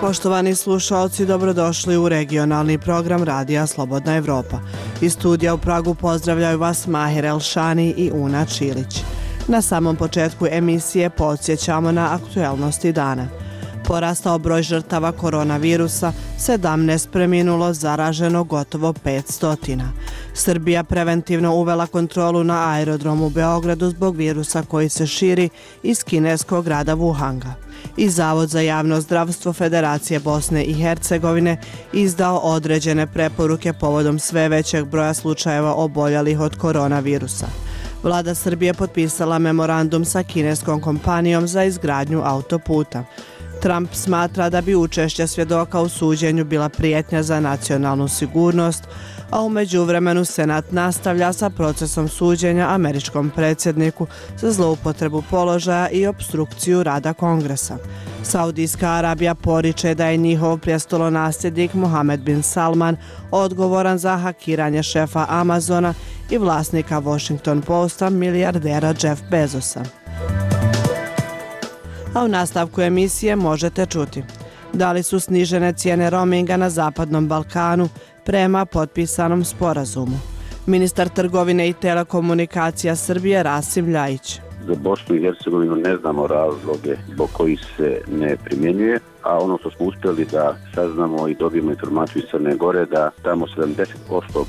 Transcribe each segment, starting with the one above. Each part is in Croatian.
Poštovani slušalci, dobrodošli u regionalni program Radija Slobodna Evropa. Iz studija u Pragu pozdravljaju vas Mahir Elšani i Una Čilić. Na samom početku emisije podsjećamo na aktuelnosti dana. Porastao broj žrtava koronavirusa, 17 preminulo, zaraženo gotovo 500. Srbija preventivno uvela kontrolu na aerodromu u Beogradu zbog virusa koji se širi iz kineskog grada Wuhanga. I Zavod za javno zdravstvo Federacije Bosne i Hercegovine izdao određene preporuke povodom sve većeg broja slučajeva oboljelih od koronavirusa. Vlada Srbije potpisala memorandum sa kineskom kompanijom za izgradnju autoputa. Trump smatra da bi učešće svjedoka u suđenju bila prijetnja za nacionalnu sigurnost, a u međuvremenu Senat nastavlja sa procesom suđenja američkom predsjedniku za zloupotrebu položaja i opstrukciju rada Kongresa. Saudijska Arabija poriče da je njihov prijestolonasljednik Mohamed bin Salman odgovoran za hakiranje šefa Amazona i vlasnika Washington Posta, milijardera Jeff Bezosa. A u nastavku emisije možete čuti da li su snižene cijene roaminga na Zapadnom Balkanu prema potpisanom sporazumu. Ministar trgovine i telekomunikacija Srbije Rasim Ljajić. Za Bosnu i Hercegovinu ne znamo razloge zbog kojih se ne primjenjuje, a ono što smo uspjeli da saznamo i dobijemo informaciju iz Crne Gore da tamo 70%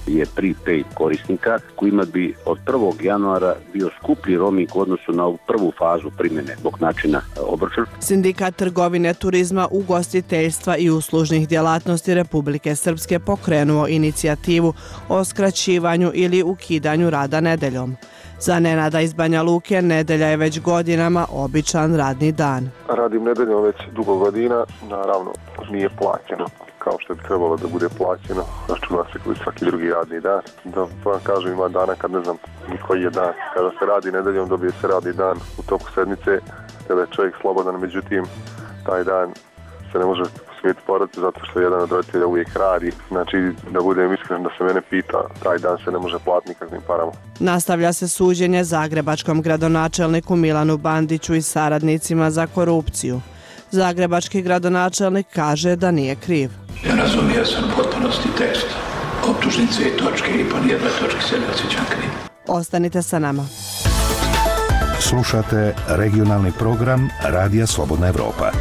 je prepaid korisnika kojima bi od 1. januara bio skuplji roaming u odnosu na ovu prvu fazu primjene zbog načina obračuna. Sindikat trgovine, turizma, ugostiteljstva i uslužnih djelatnosti Republike Srpske pokrenuo inicijativu o skraćivanju ili ukidanju rada nedeljom. Za Nenada iz Banja Luke nedelja je već godinama običan radni dan. Radim nedeljom već dugo godina, naravno nije plaćeno kao što bi trebalo da bude plaćeno, računa se koji svaki drugi radni dan. Da vam kažem, ima dana kad ne znam ni koji je dan. Kada se radi nedeljom dobije se radni dan u toku sedmice, kada je čovjek slobodan, međutim taj dan se ne može posvetiti porodici zato što jedan od roditelja uvijek radi. Znači, da budem iskren, da se mene pita, taj dan se ne može platiti nikakvim parama. Nastavlja se suđenje zagrebačkom gradonačelniku Milanu Bandiću i saradnicima za korupciju. Zagrebački gradonačelnik kaže da nije kriv. Ja razumio sam potpunosti tekst optužnice i točke i po nijednoj točki se ne osjećam kriv. Ostanite sa nama. Slušate regionalni program Radija Slobodna Evropa.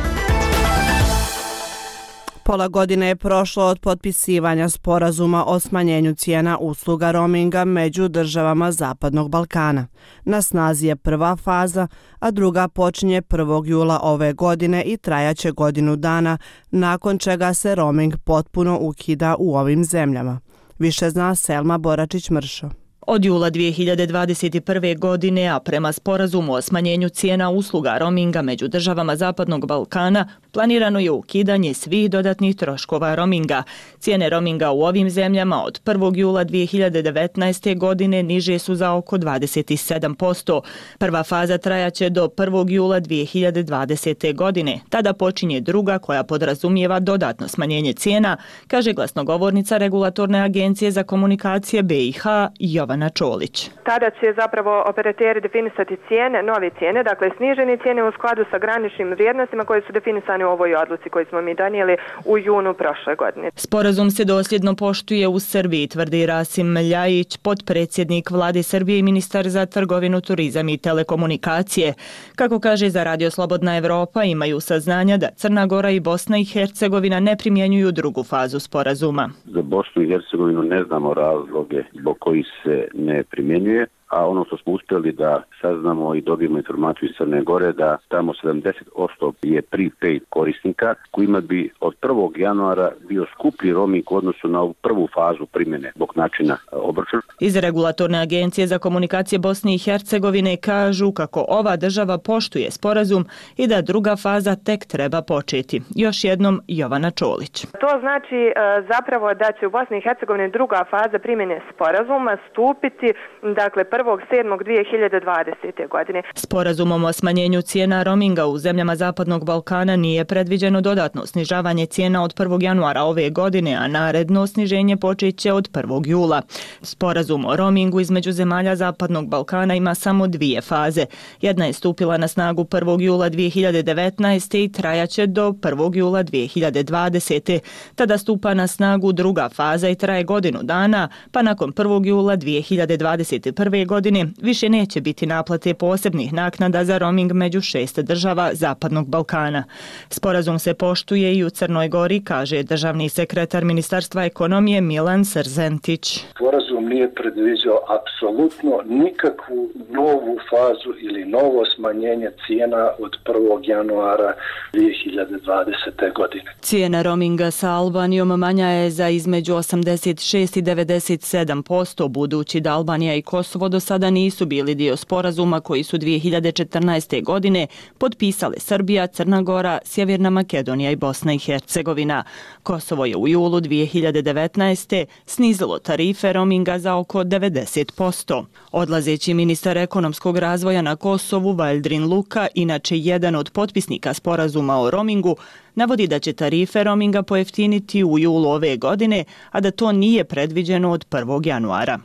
Pola godine je prošlo od potpisivanja sporazuma o smanjenju cijena usluga roaminga među državama Zapadnog Balkana. Na snazi je prva faza, a druga počinje 1. jula ove godine i trajaće godinu dana, nakon čega se roaming potpuno ukida u ovim zemljama. Više zna Selma Boračić-Mršo. Od jula 2021. godine, a prema sporazumu o smanjenju cijena usluga roaminga među državama Zapadnog Balkana, planirano je ukidanje svih dodatnih troškova roaminga. Cijene roaminga u ovim zemljama od 1. jula 2019. godine niže su za oko 27%. Prva faza trajaće do 1. jula 2020. godine. Tada počinje druga koja podrazumijeva dodatno smanjenje cijena, kaže glasnogovornica Regulatorne agencije za komunikacije BiH Jovana Čolić. Tada će zapravo operateri definisati cijene, nove cijene, dakle snižene cijene u skladu sa graničnim vrijednostima koje su definisane u ovoj odluci koju smo mi donijeli u junu prošle godine. Sporazum se dosljedno poštuje u Srbiji, tvrdi Rasim Ljajić, potpredsjednik Vlade Srbije i ministar za trgovinu, turizam i telekomunikacije. Kako kaže za Radio Slobodna Evropa, imaju saznanja da Crna Gora i Bosna i Hercegovina ne primjenjuju drugu fazu sporazuma. Za Bosnu i Hercegovinu ne znamo razloge zbog kojih se ne primjenjuje, a ono što smo uspjeli da saznamo i dobijemo informaciju iz Crne Gore da tamo 70% je prepaid korisnika kojima bi od 1. januara bio skuplji roaming u odnosu na ovu prvu fazu primjene zbog načina obračuna. Iz Regulatorne agencije za komunikacije Bosne i Hercegovine kažu kako ova država poštuje sporazum i da druga faza tek treba početi. Još jednom Jovana Čolić. To znači zapravo da će u Bosni i Hercegovini druga faza primjene sporazuma stupiti, dakle 1.7.2020. godine. Sporazumom o smanjenju cijena roaminga u zemljama Zapadnog Balkana nije predviđeno dodatno snižavanje cijena od 1. januara ove godine, a naredno sniženje počet će od 1. jula. Sporazum o roamingu između zemalja Zapadnog Balkana ima samo dvije faze. Jedna je stupila na snagu 1. jula 2019. i trajaće do 1. jula 2020. Tada stupa na snagu druga faza i traje godinu dana, pa nakon 1. jula 2021. godine više neće biti naplate posebnih naknada za roaming među 6 država Zapadnog Balkana. Sporazum se poštuje i u Crnoj Gori, kaže državni sekretar Ministarstva ekonomije Milan Srzentić. Sporazum nije predviđao apsolutno nikakvu novu fazu ili novo smanjenje cijena od 1. januara 2020. godine. Cijena roaminga sa Albanijom manja je za između 86 i 97%, budući da Albanija i Kosovo do sada nisu bili dio sporazuma koji su 2014. godine potpisale Srbija, Crna Gora, Sjeverna Makedonija i Bosna i Hercegovina. Kosovo je u julu 2019. snizilo tarife roaminga za oko 90%. Odlazeći ministar ekonomskog razvoja na Kosovu, Valdrin Luka, inače jedan od potpisnika sporazuma o roamingu, navodi da će tarife roaminga pojeftiniti u julu ove godine, a da to nije predviđeno od 1. januara.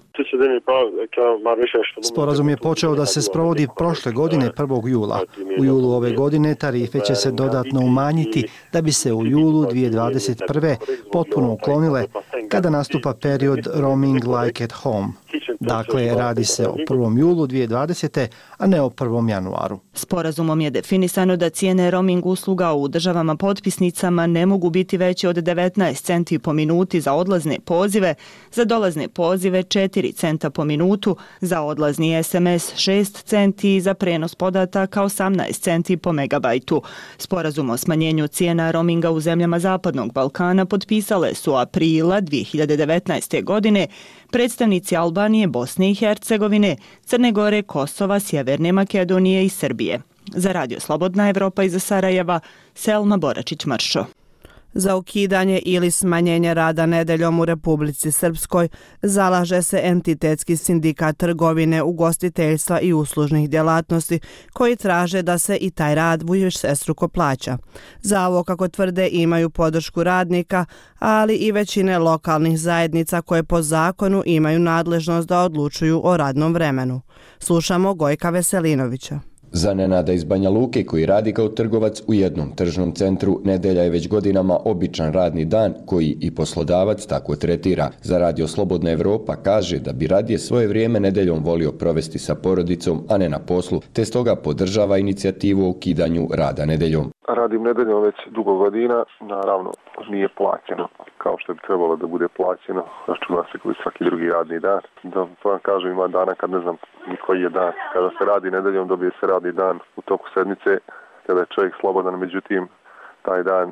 Sporazum je počeo da se sprovodi prošle godine 1. jula. U julu ove godine tarife će se dodatno umanjiti da bi se u julu 2021. potpuno uklonile kada nastupa period roaming like at home. Dakle, radi se o 1. julu 2020. a ne o 1. januaru. Sporazumom je definisano da cijene roaming usluga u državama potpisnicama ne mogu biti veće od 19 centi po minuti za odlazne pozive, za dolazne pozive 4 centa po minutu, za odlazni SMS 6 centi i za prenos podataka 18 centi po megabajtu. Sporazum o smanjenju cijena roaminga u zemljama Zapadnog Balkana potpisale su aprila 2019. godine predstavnici Albanije, Bosne i Hercegovine, Crne Gore, Kosova, Sjeverne Makedonije i Srbije. Za Radio Slobodna Evropa iz Sarajeva, Selma Boračić-Mršo. Za ukidanje ili smanjenje rada nedeljom u Republici Srpskoj zalaže se entitetski sindikat trgovine, ugostiteljstva i uslužnih djelatnosti koji traže da se i taj rad višestruko plaća. Za ovo, kako tvrde, imaju podršku radnika, ali i većine lokalnih zajednica koje po zakonu imaju nadležnost da odlučuju o radnom vremenu. Slušamo Gojka Veselinovića. Za Nenada iz Banja Luke, koji radi kao trgovac u jednom tržnom centru, nedelja je već godinama običan radni dan koji i poslodavac tako tretira. Za Radio Slobodna Evropa kaže da bi radije svoje vrijeme nedeljom volio provesti sa porodicom, a ne na poslu, te stoga podržava inicijativu o ukidanju rada nedeljom. Radim nedeljom već dugo godina, naravno nije plaćeno kao što bi trebalo da bude plaćeno, računa se koji svaki drugi radni dan. Da vam kažem, ima dana kad ne znam ni koji je dan. Kada se radi nedeljom dobije se radni dan u toku sedmice, kada je čovjek slobodan, međutim taj dan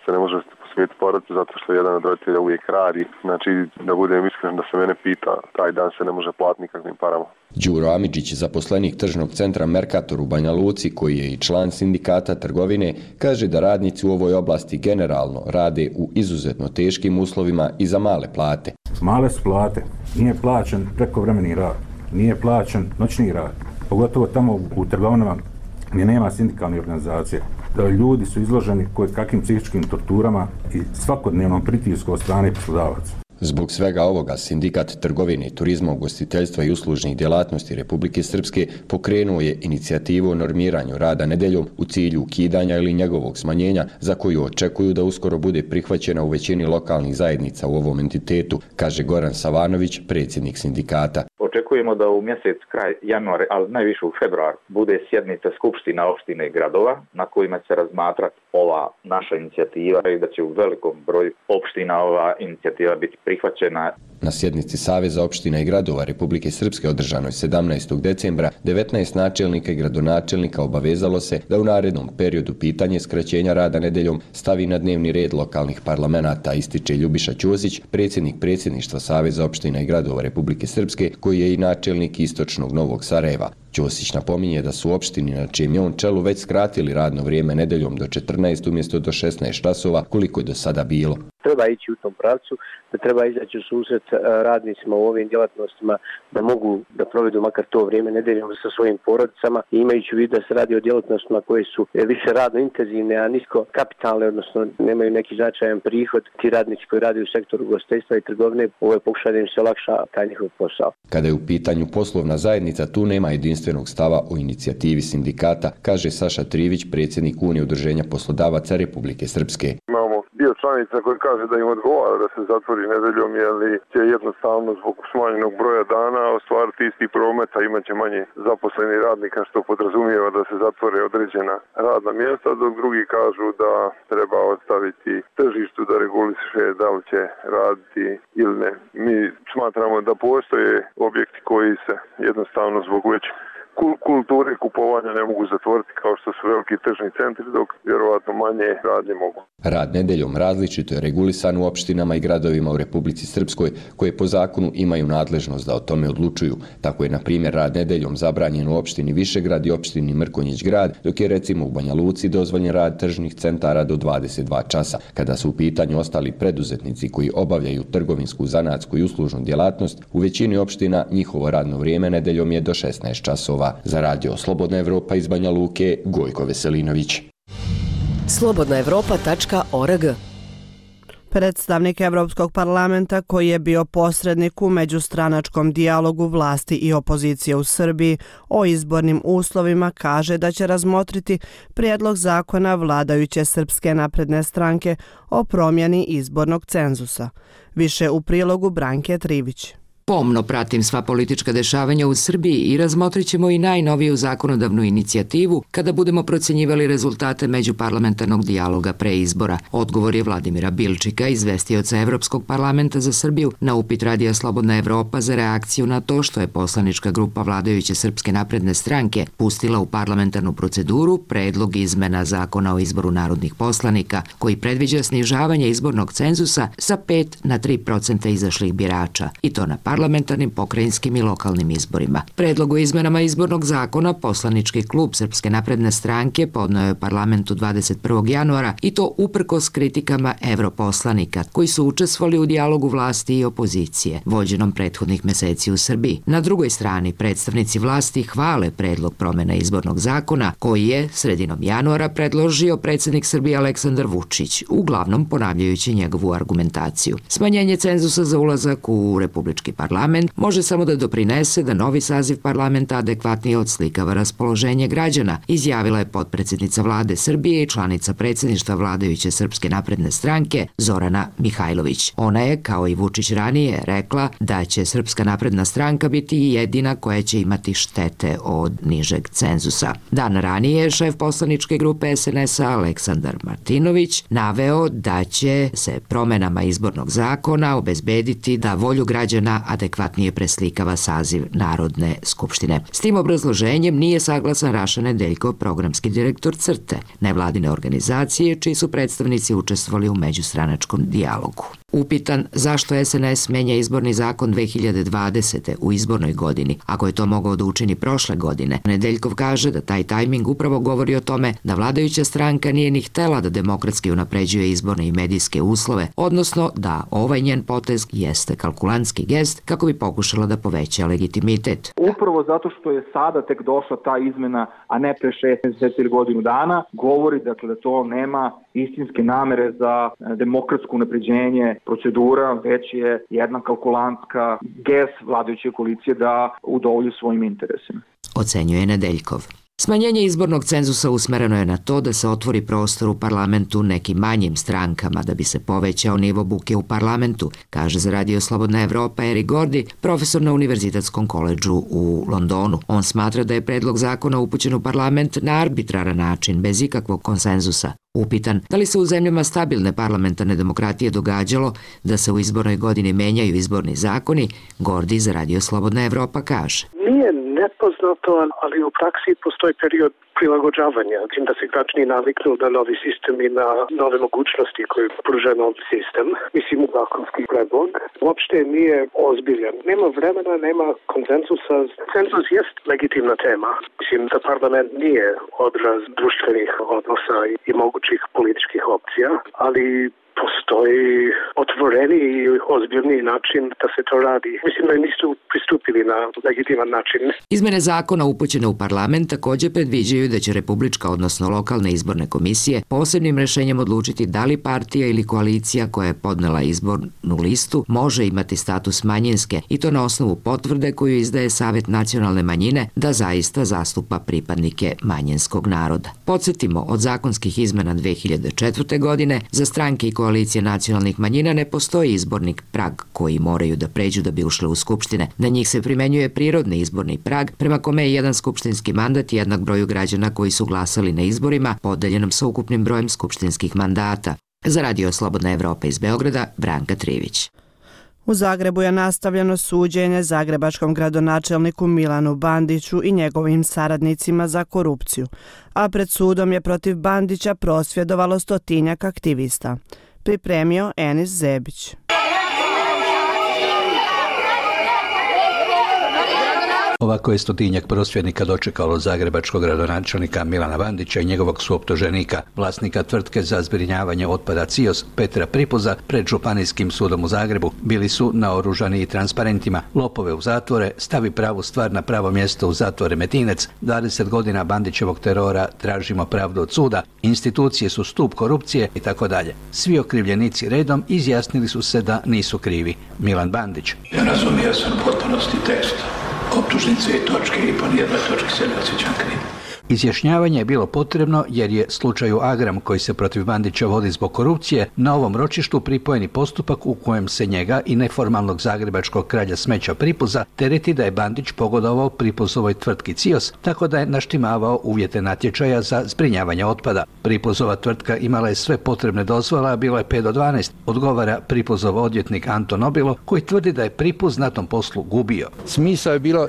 se ne može posvetiti porodici zato što jedan od roditelja uvijek radi. Znači, da budem iskren, da se mene pita, taj dan se ne može platiti nikakvim parama. Đuro Amidžić, zaposlenik tržnog centra Mercator u Banja Luci, koji je i član sindikata trgovine, kaže da radnici u ovoj oblasti generalno rade u izuzetno teškim uslovima i za male plate. Male su plate, nije plaćen prekovremeni rad, nije plaćen noćni rad, pogotovo tamo u trgovinama gdje nema sindikalne organizacije. Ljudi su izloženi kakvim psihičkim torturama i svakodnevnom pritisku od strane poslodavaca. Zbog svega ovoga, Sindikat trgovine, turizma, ugostiteljstva i uslužnih djelatnosti Republike Srpske pokrenuo je inicijativu o normiranju rada nedeljom u cilju ukidanja ili njegovog smanjenja, za koju očekuju da uskoro bude prihvaćena u većini lokalnih zajednica u ovom entitetu, kaže Goran Savanović, predsjednik sindikata. Očekujemo da u mjesec kraj januara, ali najviše u februar, bude sjednica skupština opštine i gradova na kojima će se razmatrati ova naša inicijativa i da će u velikom broju opština ova inicijativa biti prihvaćena. Na sjednici Saveza opština i gradova Republike Srpske održanoj 17. decembra 19 načelnika i gradonačelnika obavezalo se da u narednom periodu pitanje skraćenja rada nedeljom stavi na dnevni red lokalnih parlamenata, ističe Ljubiša Ćosić, predsjednik predsjedništva Saveza opština i gradova Republike Srpske, koji je i načelnik istočnog Novog Sarajeva. Ćosić napominje da su opštini na čijem je on čelu već skratili radno vrijeme nedeljom do 14 umjesto do 16 časova, koliko je do sada bilo. treba ići u tom pravcu, da treba izaći u susret radnicima u ovim djelatnostima da mogu da provedu makar to vrijeme nedeljom sa svojim porodicama i imajući u vidu da se radi o djelatnostima koje su više radno intenzivne, a nisko kapitalne, odnosno nemaju neki značajan prihod. Ti radnici koji rade u sektoru ugostiteljstva i trgovine, ovo je pokušaj da im se olakša taj njihov posao. Kada je u pitanju poslovna zajednica, tu nema jedinstvenog stava o inicijativi sindikata, kaže Saša Trivić, predsjednik Unije udruženja poslodavaca Republike Srpske. Imamo dio članica koji kaže da im odgovara da se zatvori nedeljom, jer će jednostavno zbog smanjenog broja dana ostvariti isti promet, a imaće manje zaposlenih radnika, što podrazumijeva da se zatvore određena radna mjesta, dok drugi kažu da treba ostaviti tržištu da reguliše da li će raditi ili ne. Mi smatramo da postoje objekti koji se jednostavno zbog već kulture kupovanja ne mogu zatvoriti kao što su veliki tržni centri, dok vjerovatno manje radnje mogu. Rad nedeljom različito je regulisan u opštinama i gradovima u Republici Srpskoj, koje po zakonu imaju nadležnost da o tome odlučuju. Tako je, na primjer, rad nedeljom zabranjen u opštini Višegrad i opštini Mrkonjić grad, dok je recimo u Banja Luci dozvoljen rad tržnih centara do 22 časa. Kada su u pitanju ostali preduzetnici koji obavljaju trgovinsku, zanatsku i uslužnu djelatnost, u većini opština njihovo radno vrijeme nedeljom je do 16 časova. Za radio Slobodna Evropa iz Banja Luke, Gojko Veselinović. slobodnaevropa.org. Predstavnik Evropskog parlamenta, koji je bio posrednik u međustranačkom dijalogu vlasti i opozicije u Srbiji o izbornim uslovima, kaže da će razmotriti prijedlog zakona vladajuće Srpske napredne stranke o promjeni izbornog cenzusa. Više u prilogu Branke Trivić. Pomno pratim sva politička dešavanja u Srbiji i razmotrit ćemo i najnoviju zakonodavnu inicijativu kada budemo procjenjivali rezultate međuparlamentarnog dijaloga pre izbora. Odgovor je Vladimira Bilčika, izvestioca Evropskog parlamenta za Srbiju, na upit Radija Slobodna Evropa za reakciju na to što je poslanička grupa vladajuće Srpske napredne stranke pustila u parlamentarnu proceduru predlog izmena zakona o izboru narodnih poslanika, koji predviđa snižavanje izbornog cenzusa sa 5 na 3% izašlih birača, i to na parlamentarnim, pokrajinskim i lokalnim izborima. Predlog o izmenama izbornog zakona poslanički klub Srpske napredne stranke podneo je parlamentu 21. januara, i to uprkos kritikama europoslanika koji su učestvovali u dijalogu vlasti i opozicije, vođenom prethodnih meseci u Srbiji. Na drugoj strani, predstavnici vlasti hvale predlog promjena izbornog zakona koji je sredinom januara predložio predsjednik Srbije Aleksandar Vučić, uglavnom ponavljajući njegovu argumentaciju. Smanjenje cenzusa za ulazak u Republički parlament može samo da doprinese da novi saziv parlamenta adekvatnije odslikava raspoloženje građana, izjavila je potpredsjednica vlade Srbije i članica predsjedništva vladajuće Srpske napredne stranke Zorana Mihajlović. Ona je, kao i Vučić ranije, rekla da će Srpska napredna stranka biti jedina koja će imati štete od nižeg cenzusa. Dan ranije šef poslaničke grupe SNS-a Aleksandar Martinović naveo da će se promjenama izbornog zakona obezbediti da volju građana adekvatnije preslikava saziv Narodne skupštine. S tim obrazloženjem nije saglasan Raša Nedeljkov, programski direktor CRTE, nevladine organizacije čiji su predstavnici učestvovali u međustranačkom dijalogu. Upitan zašto SNS menja izborni zakon 2020. u izbornoj godini, ako je to mogao da učini prošle godine, Nedeljkov kaže da taj tajming upravo govori o tome da vladajuća stranka nije ni htela da demokratski unapređuje izborne i medijske uslove, odnosno da ovaj njen potez jeste kalkulantski gest kako bi pokušala da poveća legitimitet. Upravo zato što je sada tek došla ta izmena, a ne pre 6 mjeseci ili godinu dana, govori dakle da to nema istinske namere za demokratsko unapređenje procedura, već je jedna kalkulantska gest vladajuće koalicije da udovolji svojim interesima. Ocenjuje Nedeljkov. Smanjenje izbornog cenzusa usmereno je na to da se otvori prostor u parlamentu nekim manjim strankama da bi se povećao nivo buke u parlamentu, kaže za Radio Slobodna Evropa Eric Gordy, profesor na Univerzitetskom koledžu u Londonu. On smatra da je predlog zakona upućen u parlament na arbitraran način, bez ikakvog konsenzusa. Upitan da li se u zemljama stabilne parlamentarne demokratije događalo da se u izbornoj godini menjaju izborni zakoni, Gordy za Radio Slobodna Evropa kaže: Nije nepoznato, ali u praksi postoji period prilagođavanja, da se građani naviknu na novi sistem i na nove mogućnosti koje pruža novi sistem. Mislim, zakonski predlog uopšte nije ozbiljan. Nema vremena, nema konsenzusa. Cenzus jest legitimna tema. Mislim da parlament nije odraz društvenih odnosa i mogućih političkih opcija, ali postoji otvoreni i ozbiljniji način da se to radi. Mislim da nisu pristupili na legitiman način. Izmene zakona upućene u parlament također predviđaju da će republička, odnosno lokalne izborne komisije posebnim rješenjem odlučiti da li partija ili koalicija koja je podnela izbornu listu može imati status manjinske i to na osnovu potvrde koju izdaje Savjet nacionalne manjine da zaista zastupa pripadnike manjinskog naroda. Podsjetimo, od zakonskih izmena 2004. godine za stranke i koalicije nacionalnih manjina ne postoji izborni prag koji moraju da pređu da bi ušle u skupštine. Na njih se primenjuje prirodni izborni prag prema kome je jedan skupštinski mandat jednak broju građana koji su glasali na izborima podeljenom sa ukupnim brojem skupštinskih mandata. Za Radio Slobodna Evropa iz Beograda, Branka Trivić. U Zagrebu je nastavljeno suđenje zagrebačkom gradonačelniku Milanu Bandiću i njegovim saradnicima za korupciju, a pred sudom je protiv Bandića prosvjedovalo 100-tinjak aktivista. Pripremio Enis Zebić. Ovako je 100-tinjak prosvjednika dočekalo zagrebačkog gradonačelnika Milana Bandića i njegovog suoptuženika, vlasnika tvrtke za zbrinjavanje otpada CIOS Petra Pripuza, pred Županijskim sudom u Zagrebu. Bili su naoružani i transparentima: lopove u zatvore, stavi pravu stvar na pravo mjesto u zatvor Remetinec, 20 godina Bandićevog terora, tražimo pravdu od suda, institucije su stup korupcije itd. Svi okrivljenici redom izjasnili su se da nisu krivi. Milan Bandić: Ja razumio sam potpunosti tekst optužnice i točke i po nijednoj točki se ne osjećam kriv. Izjašnjavanje je bilo potrebno jer je slučaju Agram, koji se protiv Bandića vodi zbog korupcije, na ovom ročištu pripojeni postupak u kojem se njega i neformalnog zagrebačkog kralja smeća Pripuza tereti da je Bandić pogodovao Pripuzovoj tvrtki CIOS tako da je naštimavao uvjete natječaja za zbrinjavanje otpada. Pripuzova tvrtka imala je sve potrebne dozvole, a bilo je 5 do 12, odgovara Pripuzov odvjetnik Anton Nobilo, koji tvrdi da je Pripuz na tom poslu gubio. Smisao je bilo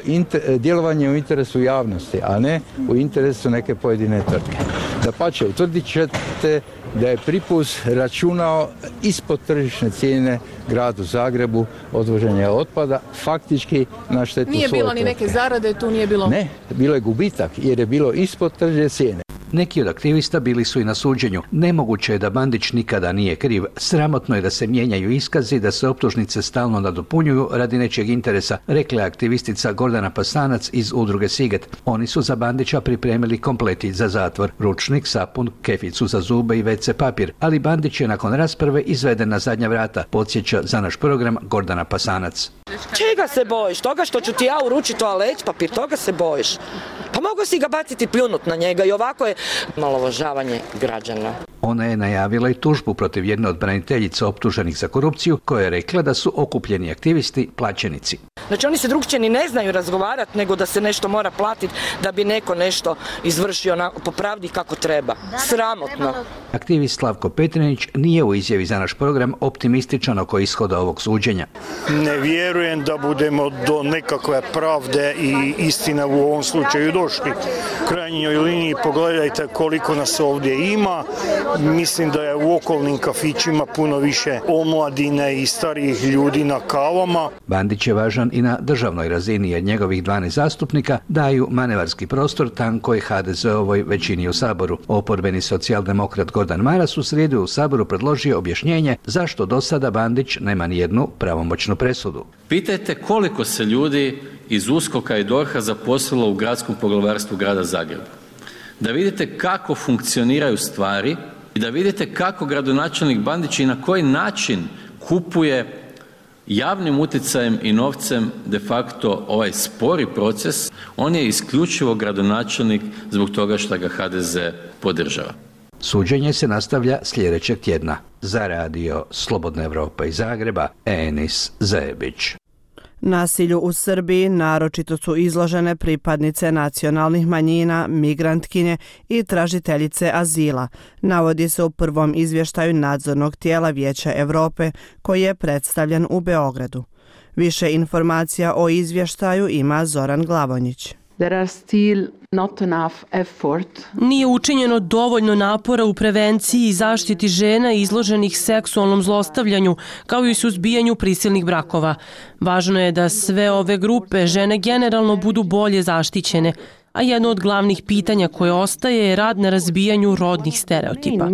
djelovanje u interesu javnosti, a ne u interesu su neke pojedine tvrtke. Dapače, utvrdit ćete da je Pripuz računao ispod tržišne cijene gradu Zagrebu odvoženje otpada, faktički na štetu svoje tvrtke. Nije bilo ni neke zarade, tu nije bilo... Ne, bilo je gubitak jer je bilo ispod tržišne cijene. Neki od aktivista bili su i na suđenju. Nemoguće je da Bandić nikada nije kriv. Sramotno je da se mijenjaju iskazi, da se optužnice stalno nadopunjuju radi nečijeg interesa, rekla je aktivistica Gordana Pasanac iz udruge Siget. Oni su za Bandića pripremili kompleti za zatvor: ručnik, sapun, keficu za zube i WC papir, ali Bandić je nakon rasprave izveden na zadnja vrata, podsjeća za naš program Gordana Pasanac. Čega se bojiš? Toga što ću ti ja uručiti toalet papir, toga se bojiš? Pa mogu si ga baciti, pljunut na njega i ovako je omalovažavanje građana. Ona je najavila i tužbu protiv jedne od braniteljica optuženih za korupciju, koja je rekla da su okupljeni aktivisti plaćenici. Znači oni se drugčije ni ne znaju razgovarati, nego da se nešto mora platiti da bi neko nešto izvršio po pravdi kako treba. Sramotno. Aktivist Slavko Petrinić nije u izjavi za naš program optimističan oko ishoda ovog suđenja. Ne vjerujem da budemo do nekakve pravde i istine u ovom slučaju došli. U krajnjoj liniji pogledajte koliko nas ovdje ima. Mislim da je u okolnim kafićima puno više omladine i starijih ljudi na kavama. Bandić je važan i na državnoj razini jer njegovih 12 zastupnika daju manevarski prostor tankoj HDZ-ovoj većini u Saboru. Oporbeni socijaldemokrat Gordan Maras u srijedu u Saboru predložio objašnjenje zašto do sada Bandić nema ni jednu pravomoćnu presudu. Pitajte koliko se ljudi iz USKOK-a i DORH-a zaposlilo u gradskom poglavarstvu grada Zagreba. Da vidite kako funkcioniraju stvari i da vidite kako gradonačelnik Bandić i na koji način kupuje javnim utjecajem i novcem de facto ovaj spori proces. On je isključivo gradonačelnik zbog toga što ga HDZ podržava. Suđenje se nastavlja sljedećeg tjedna. Za Radio Slobodna Evropa iz Zagreba, Enis Zebić. Nasilju u Srbiji naročito su izložene pripadnice nacionalnih manjina, migrantkinje i tražiteljice azila, navodi se u prvom izvještaju nadzornog tijela Vijeća Evrope koji je predstavljen u Beogradu. Više informacija o izvještaju ima Zoran Glavonjić. Nije učinjeno dovoljno napora u prevenciji i zaštiti žena izloženih seksualnom zlostavljanju, kao i suzbijanju prisilnih brakova. Važno je da sve ove grupe žene generalno budu bolje zaštićene, a jedno od glavnih pitanja koje ostaje je rad na razbijanju rodnih stereotipa.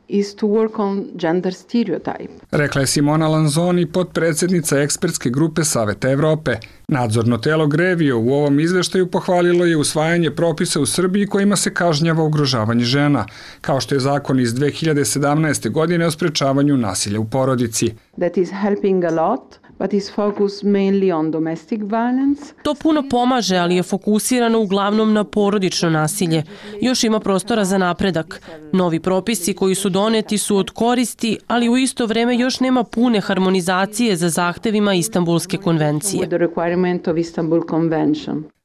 is to work on gender stereotype. Rekla je Simona Lanzoni, potpredsjednica ekspertske grupe Saveta Evrope. Nadzorno telo Grevio u ovom izveštaju pohvalilo je usvajanje propisa u Srbiji kojima se kažnjava ugrožavanje žena, kao što je zakon iz 2017. godine o sprečavanju nasilja u porodici. That is helping a lot. But is focused mainly on domestic violence. To puno pomaže, ali je fokusirano uglavnom na porodično nasilje. Još ima prostora za napredak. Novi propisi koji su doneti su od koristi, ali u isto vreme još nema pune harmonizacije za zahtevima Istanbulske konvencije.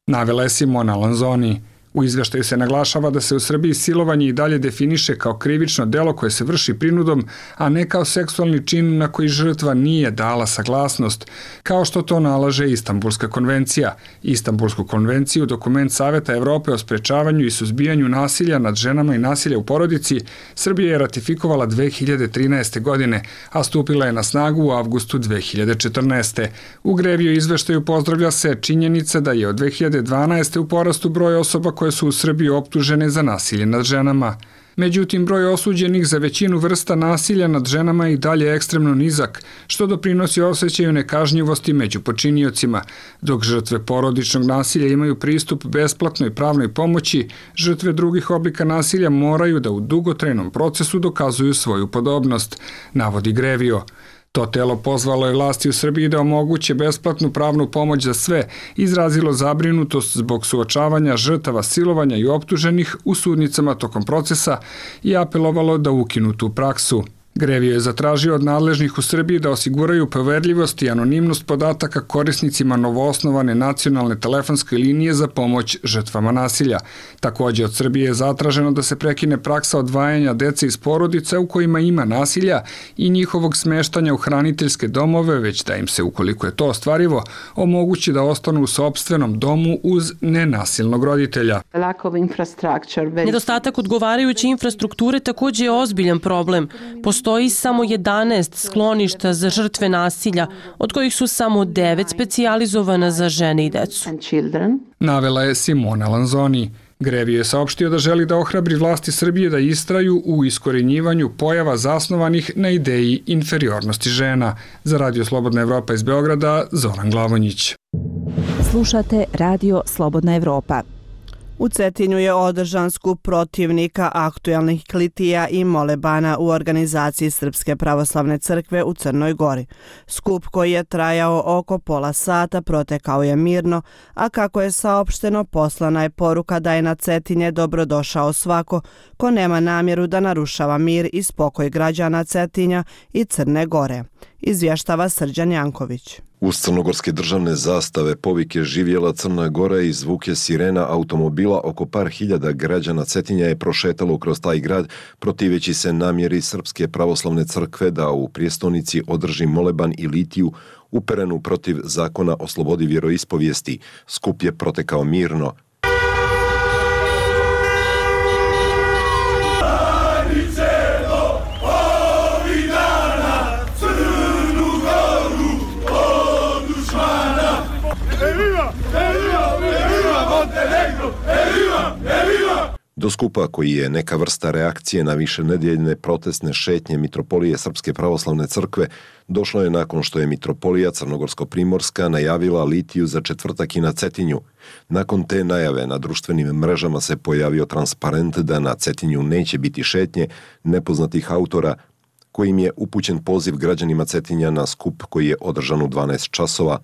Navela je Simona Lanzoni. U izveštaju se naglašava da se u Srbiji silovanje i dalje definiše kao krivično delo koje se vrši prinudom, a ne kao seksualni čin na koji žrtva nije dala saglasnost, kao što to nalaže Istanbulska konvencija. Istanbulsku konvenciju, dokument Saveta Evrope o sprečavanju i suzbijanju nasilja nad ženama i nasilja u porodici, Srbija je ratifikovala 2013. godine, a stupila je na snagu u avgustu 2014. U Grevio izveštaju pozdravlja se činjenica da je od 2012. u porastu broj osoba koje su u Srbiji optužene za nasilje nad ženama. Međutim, broj osuđenih za većinu vrsta nasilja nad ženama je i dalje ekstremno nizak, što doprinosi osjećaju nekažnjivosti među počiniocima. Dok žrtve porodičnog nasilja imaju pristup besplatnoj pravnoj pomoći, žrtve drugih oblika nasilja moraju da u dugotrajnom procesu dokazuju svoju podobnost, navodi Grevio. To telo pozvalo je vlasti u Srbiji da omoguće besplatnu pravnu pomoć za sve, izrazilo zabrinutost zbog suočavanja žrtava silovanja i optuženih u sudnicama tokom procesa i apelovalo da ukinu tu praksu. Grevio je zatražio od nadležnih u Srbiji da osiguraju poverljivost i anonimnost podataka korisnicima novoosnovane nacionalne telefonske linije za pomoć žrtvama nasilja. Također od Srbije je zatraženo da se prekine praksa odvajanja dece iz porodica u kojima ima nasilja i njihovog smeštanja u hraniteljske domove, već da im se, ukoliko je to ostvarivo, omogući da ostanu u sopstvenom domu uz nenasilnog roditelja. Nedostatak odgovarajuće infrastrukture također je ozbiljan problem. Postoji samo 11 skloništa za žrtve nasilja, od kojih su samo 9 specijalizovana za žene i decu. Navela je Simona Lanzoni. Grevio je saopštio da želi da ohrabri vlasti Srbije da istraju u iskorenjivanju pojava zasnovanih na ideji inferiornosti žena. Za Radio Slobodna Evropa iz Beograda, Zoran Glavonjić. Slušate Radio Slobodna Evropa. U Cetinju je održan skup protivnika aktuelnih klitija i molebana u organizaciji Srpske pravoslavne crkve u Crnoj Gori. Skup koji je trajao oko pola sata protekao je mirno, a kako je saopšteno, poslana je poruka da je na Cetinje dobrodošao svako ko nema namjeru da narušava mir i spokoj građana Cetinja i Crne Gore, izvještava Srđan Janković. Uz crnogorske državne zastave, povike živjela Crna Gora i zvuke sirena automobila, oko par hiljada građana Cetinja je prošetalo kroz taj grad, protiveći se namjeri Srpske pravoslavne crkve da u prijestolnici održi moleban i litiju uperenu protiv zakona o slobodi vjeroispovijesti. Skup je protekao mirno. Do skupa, koji je neka vrsta reakcije na višenedjeljne protestne šetnje Mitropolije Srpske pravoslavne crkve, došlo je nakon što je Mitropolija Crnogorsko-Primorska najavila litiju za četvrtak i na Cetinju. Nakon te najave na društvenim mrežama se pojavio transparent da na Cetinju neće biti šetnje nepoznatih autora, kojim je upućen poziv građanima Cetinja na skup koji je održan u 12 časova.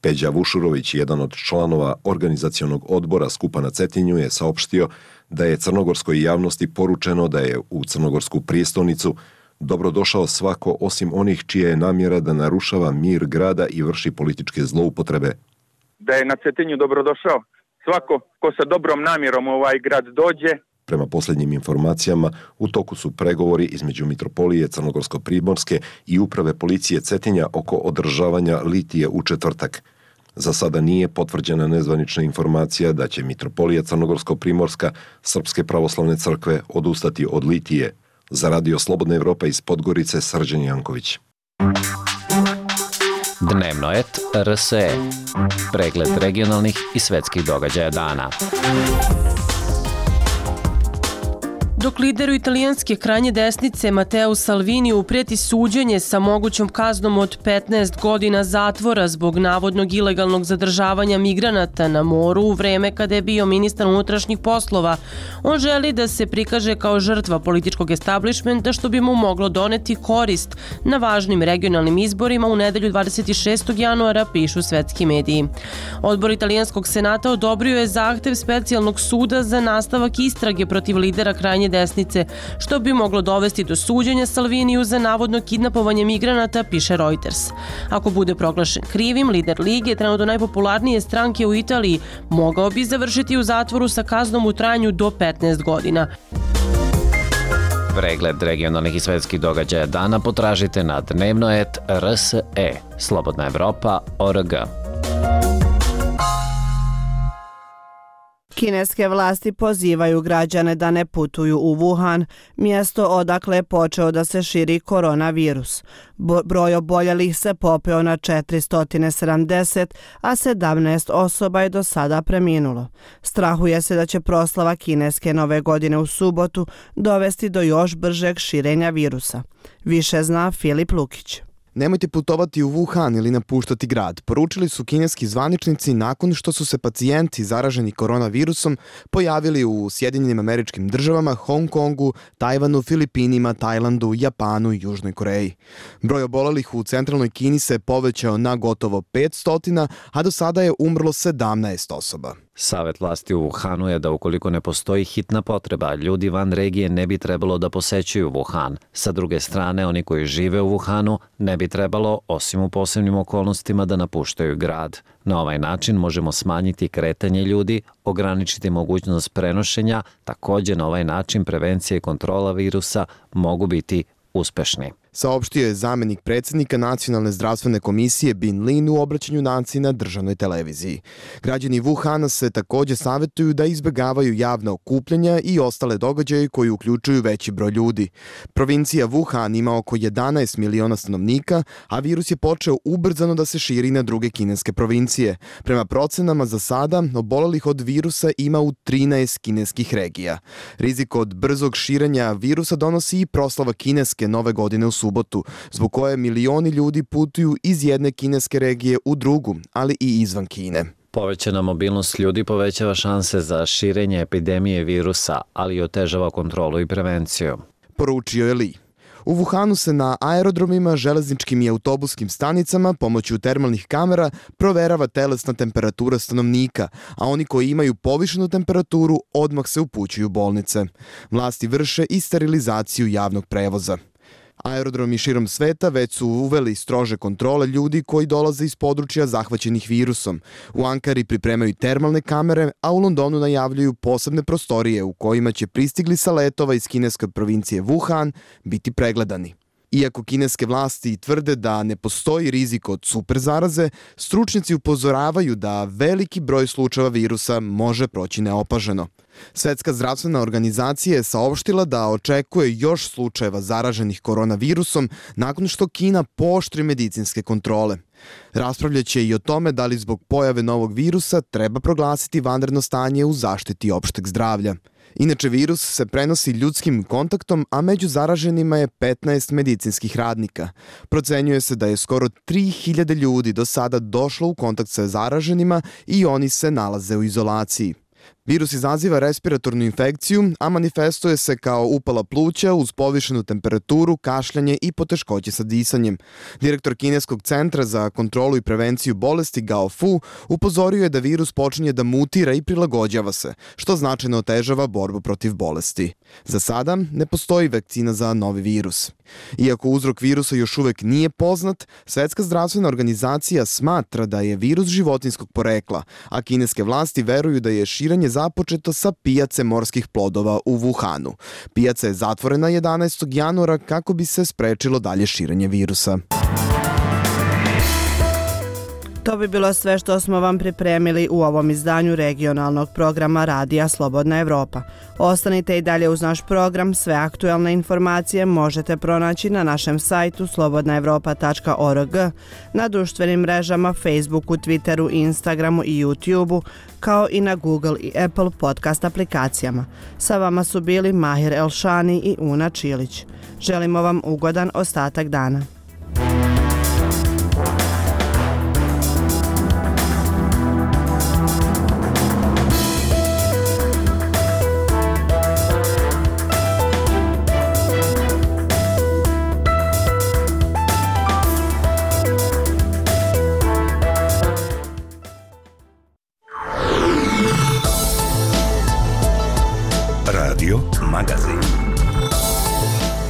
Peđa Vušurović, jedan od članova organizacionog odbora skupa na Cetinju, je saopštio da je crnogorskoj javnosti poručeno da je u crnogorsku prijestolnicu dobrodošao svako osim onih čija je namjera da narušava mir grada i vrši političke zloupotrebe. Da je na Cetinju dobrodošao svako ko sa dobrom namjerom u ovaj grad dođe. Prema posljednjim informacijama, u toku su pregovori između Mitropolije Crnogorsko-Primorske i uprave policije Cetinja oko održavanja litije u četvrtak. Za sada nije potvrđena nezvanična informacija da će Mitropolija Crnogorsko-Primorska Srpske pravoslavne crkve odustati od litije. Za Radio Slobodna Evropa iz Podgorice, Srđan Janković. Dnevnoet RSE. Pregled regionalnih i svetskih događaja dana. Dok lideru italijanske krajnje desnice Matteo Salviniju prijeti suđenje sa mogućom kaznom od 15 godina zatvora zbog navodnog ilegalnog zadržavanja migranata na moru u vreme kada je bio ministar unutrašnjih poslova, on želi da se prikaže kao žrtva političkog establishmenta što bi mu moglo doneti korist na važnim regionalnim izborima u nedelju 26. januara, pišu svetski mediji. Odbor italijanskog senata odobrio je zahtev specijalnog suda za nastavak istrage protiv lidera krajnje desnice, što bi moglo dovesti do suđenja Salviniju za navodno kidnapovanje migranata, piše Reuters. Ako bude proglašen krivim, lider Lige, trenutno najpopularnije stranke u Italiji, mogao bi završiti u zatvoru sa kaznom u trajanju do 15 godina. Pregled regionalnih i svetskih događaja dana potražite na dnevnoet.rse, Slobodna Evropa.org. Kineske vlasti pozivaju građane da ne putuju u Wuhan, mjesto odakle je počeo da se širi koronavirus. Broj oboljelih se popeo na 470, a 17 osoba je do sada preminulo. Strahuje se da će proslava kineske nove godine u subotu dovesti do još bržeg širenja virusa. Više zna Filip Lukić. Nemojte putovati u Wuhan ili napuštati grad, poručili su kineski zvaničnici nakon što su se pacijenti zaraženi koronavirusom pojavili u Sjedinjenim Američkim Državama, Hong Kongu, Tajvanu, Filipinima, Tajlandu, Japanu i Južnoj Koreji. Broj obolelih u centralnoj Kini se povećao na gotovo 500, a do sada je umrlo 17 osoba. Savet vlasti u Wuhanu je da ukoliko ne postoji hitna potreba, ljudi van regije ne bi trebalo da posećuju Wuhan. Sa druge strane, oni koji žive u Wuhanu ne bi trebalo, osim u posebnim okolnostima, da napuštaju grad. Na ovaj način možemo smanjiti kretanje ljudi, ograničiti mogućnost prenošenja, također na ovaj način prevencija i kontrola virusa mogu biti uspešni. Saopštio je zamenik predsjednika Nacionalne zdravstvene komisije Bin Lin u obraćanju naciji na državnoj televiziji. Građani Wuhana se također savjetuju da izbjegavaju javna okupljanja i ostale događaje koji uključuju veći broj ljudi. Provincija Wuhan ima oko 11 miliona stanovnika, a virus je počeo ubrzano da se širi na druge kineske provincije. Prema procenama za sada, obolelih od virusa ima u 13 kineskih regija. Rizik od brzog širenja virusa donosi i proslava kineske nove godine u subotu, zbog koje milioni ljudi putuju iz jedne kineske regije u drugu, ali i izvan Kine. Povećana mobilnost ljudi povećava šanse za širenje epidemije virusa, ali i otežava kontrolu i prevenciju. Poručio je Li. U Wuhanu se na aerodromima, železničkim i autobuskim stanicama pomoću termalnih kamera proverava telesna temperatura stanovnika, a oni koji imaju povišenu temperaturu odmah se upućuju u bolnice. Vlasti vrše i sterilizaciju javnog prevoza. Aerodromi širom sveta već su uveli strože kontrole ljudi koji dolaze iz područja zahvaćenih virusom. U Ankari pripremaju termalne kamere, a u Londonu najavljuju posebne prostorije u kojima će pristigli sa letova iz kineske provincije Wuhan biti pregledani. Iako kineske vlasti tvrde da ne postoji rizik od super zaraze, stručnjaci upozoravaju da veliki broj slučajeva virusa može proći neopaženo. Svetska zdravstvena organizacija je saopštila da očekuje još slučajeva zaraženih koronavirusom nakon što Kina pooštri medicinske kontrole. Raspravljaće i o tome da li zbog pojave novog virusa treba proglasiti vanredno stanje u zaštiti opšteg zdravlja. Inače, virus se prenosi ljudskim kontaktom, a među zaraženima je 15 medicinskih radnika. Procenjuje se da je skoro 3000 ljudi do sada došlo u kontakt sa zaraženima i oni se nalaze u izolaciji. Virus izaziva respiratornu infekciju, a manifestuje se kao upala pluća uz povišenu temperaturu, kašljanje i poteškoće sa disanjem. Direktor Kineskog centra za kontrolu i prevenciju bolesti Gao Fu upozorio je da virus počinje da mutira i prilagođava se, što značajno otežava borbu protiv bolesti. Za sada ne postoji vakcina za novi virus. Iako uzrok virusa još uvek nije poznat, Svetska zdravstvena organizacija smatra da je virus životinjskog porekla, a kineske vlasti veruju da je širenje započeto sa pijace morskih plodova u Wuhanu. Pijaca je zatvorena 11. januara kako bi se sprečilo dalje širenje virusa. To bi bilo sve što smo vam pripremili u ovom izdanju regionalnog programa Radija Slobodna Evropa. Ostanite i dalje uz naš program, sve aktuelne informacije možete pronaći na našem sajtu slobodnaevropa.org, na društvenim mrežama Facebooku, Twitteru, Instagramu i YouTubeu, kao i na Google i Apple podcast aplikacijama. Sa vama su bili Mahir Elšani i Una Čilić. Želimo vam ugodan ostatak dana.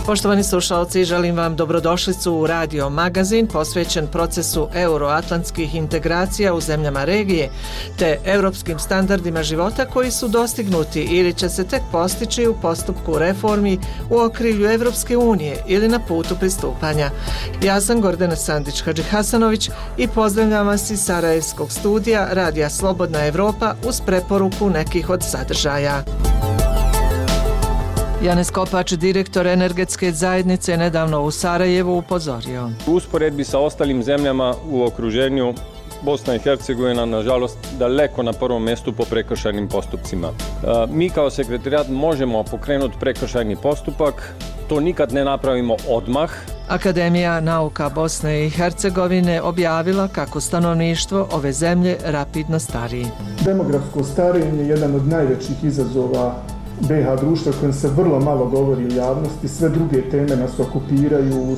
Poštovani slušalci, želim vam dobrodošlicu u Radio Magazin posvećen procesu euroatlantskih integracija u zemljama regije te europskim standardima života koji su dostignuti ili će se tek postići u postupku reformi u okrilju Evropske unije ili na putu pristupanja. Ja sam Gordana Sandić-Hadžihasanović i pozdravljam vas iz Sarajevskog studija Radija Slobodna Evropa uz preporuku nekih od sadržaja. Janez Kopač, direktor energetske zajednice, nedavno u Sarajevu upozorio. U usporedbi sa ostalim zemljama u okruženju, Bosna i Hercegovina, nažalost, daleko na prvom mjestu po prekršajnim postupcima. Mi kao sekretarijat možemo pokrenuti prekršajni postupak, to nikad ne napravimo odmah. Akademija nauka Bosne i Hercegovine objavila kako stanovništvo ove zemlje rapidno stari. Demografsko starenje je jedan od najvećih izazova BiH društva kojem se vrlo malo govori u javnosti, sve druge teme nas okupiraju,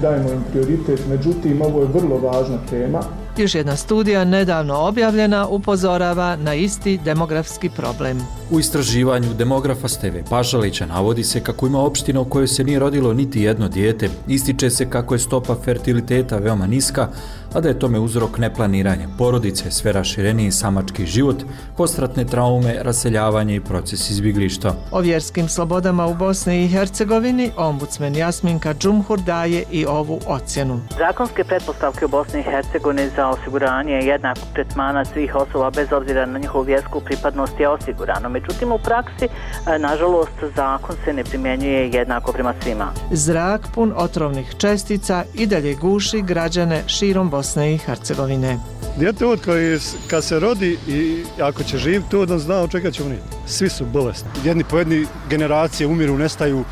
dajemo im prioritet, međutim ovo je vrlo važna tema. Još jedna studija nedavno objavljena upozorava na isti demografski problem. U istraživanju demografa Steve Pašalića navodi se kako ima opština u kojoj se nije rodilo niti jedno dijete. Ističe se kako je stopa fertiliteta veoma niska, a da je tome uzrok neplaniranje porodice, sve rašireniji samački život, postratne traume, raseljavanje i proces izbjeglištva. O vjerskim slobodama u Bosni i Hercegovini ombudsman Jasminka Džumhur daje i ovu ocjenu. Zakonske pretpostavke u Bosni i Hercegovini za osiguranje jednakog tretmana svih osoba bez obzira na njihovu vjersku pripadnost je osigurano. Međutim, u praksi, nažalost, zakon se ne primjenjuje jednako prema svima. Zrak pun otrovnih čestica i dalje guši građane širom Bosne i Hercegovine. Dijete od koji kad se rodi i ako će živjeti tu, on zna od čega će umrijeti. Svi su bolesni. Jedni po jedni generacije umiru, nestaju,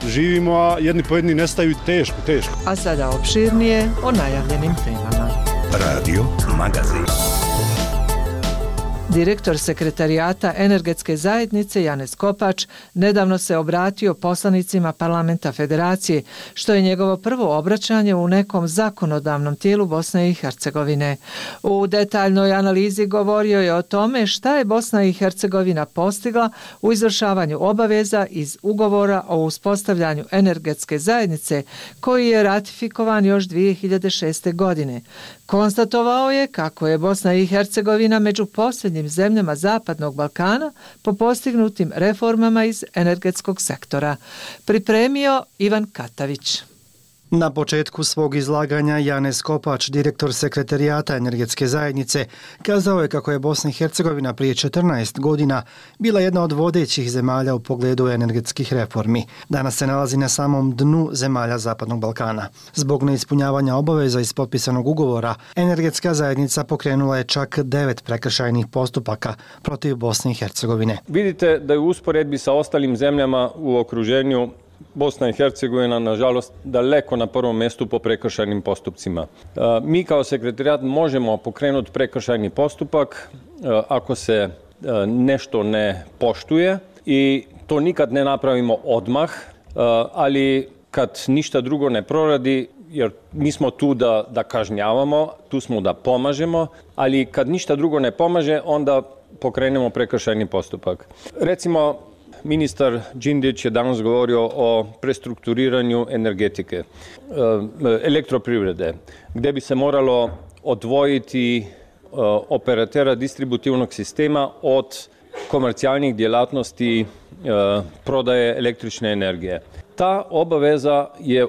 živimo, a jedni po jedni nestaju teško. A sada opširnije o najavljenim temama. Radio Magazin. Direktor sekretarijata energetske zajednice Janez Kopač nedavno se obratio poslanicima parlamenta federacije, što je njegovo prvo obraćanje u nekom zakonodavnom tijelu Bosne i Hercegovine. U detaljnoj analizi govorio je o tome šta je Bosna i Hercegovina postigla u izvršavanju obaveza iz ugovora o uspostavljanju energetske zajednice koji je ratifikovan još 2006. godine. Konstatovao je kako je Bosna i Hercegovina među posljednjim zemljama Zapadnog Balkana po postignutim reformama iz energetskog sektora. Pripremio Ivan Katavić. Na početku svog izlaganja Janez Kopač, direktor sekretarijata energetske zajednice, kazao je kako je Bosna i Hercegovina prije 14 godina bila jedna od vodećih zemalja u pogledu energetskih reformi. Danas se nalazi na samom dnu zemalja Zapadnog Balkana. Zbog neispunjavanja obaveza iz potpisanog ugovora, energetska zajednica pokrenula je čak 9 prekršajnih postupaka protiv Bosne i Hercegovine. Vidite da je u usporedbi sa ostalim zemljama u okruženju Bosna i Hercegovina, nažalost, daleko na prvom mjestu po prekršajnim postupcima. Mi kao sekretarijat možemo pokrenuti prekršajni postupak ako se nešto ne poštuje i to nikad ne napravimo odmah, ali kad ništa drugo ne proradi, jer mi smo tu da kažnjavamo, tu smo da pomažemo, ali kad ništa drugo ne pomaže, onda pokrenemo prekršajni postupak. Recimo, ministar Đindić je danas govorio o prestrukturiranju energetike, elektroprivrede, gdje bi se moralo odvojiti operatera distributivnog sistema od komercijalnih djelatnosti prodaje električne energije. Ta obaveza je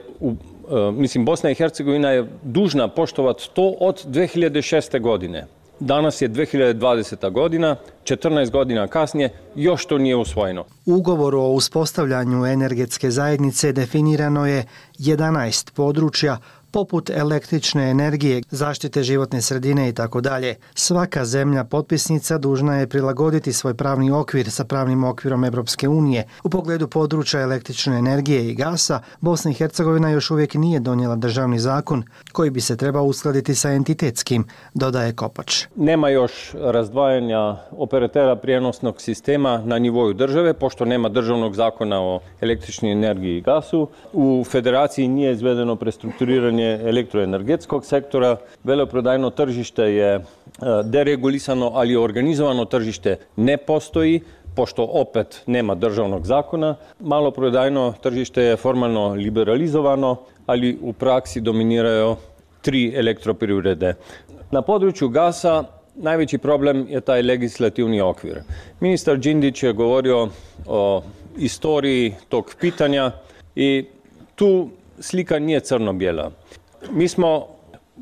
Bosna i Hercegovina je dužna poštovati to od 2006. godine. Danas je 2020. godina, 14 godina kasnije, još to nije usvojeno. U ugovoru o uspostavljanju energetske zajednice definirano je 11 područja poput električne energije, zaštite životne sredine i tako dalje. Svaka zemlja potpisnica dužna je prilagoditi svoj pravni okvir sa pravnim okvirom Evropske unije. U pogledu područja električne energije i gasa, Bosna i Hercegovina još uvijek nije donijela državni zakon koji bi se trebao uskladiti sa entitetskim, dodaje Kopač. Nema još razdvajanja operatera prijenosnog sistema na nivou države, pošto nema državnog zakona o električnoj energiji i gasu. U federaciji nije izvedeno prestrukturiranje elektroenergetskog sektora. Veleprodajno tržište je deregulisano, ali organizovano tržište ne postoji, pošto opet nema državnog zakona. Maloprodajno tržište je formalno liberalizovano, ali u praksi dominiraju 3 elektroprivrede. Na području gasa najveći problem je taj legislativni okvir. Ministar Đindić je govorio o istoriji tog pitanja i tu slika nije crno-bijela. Mi smo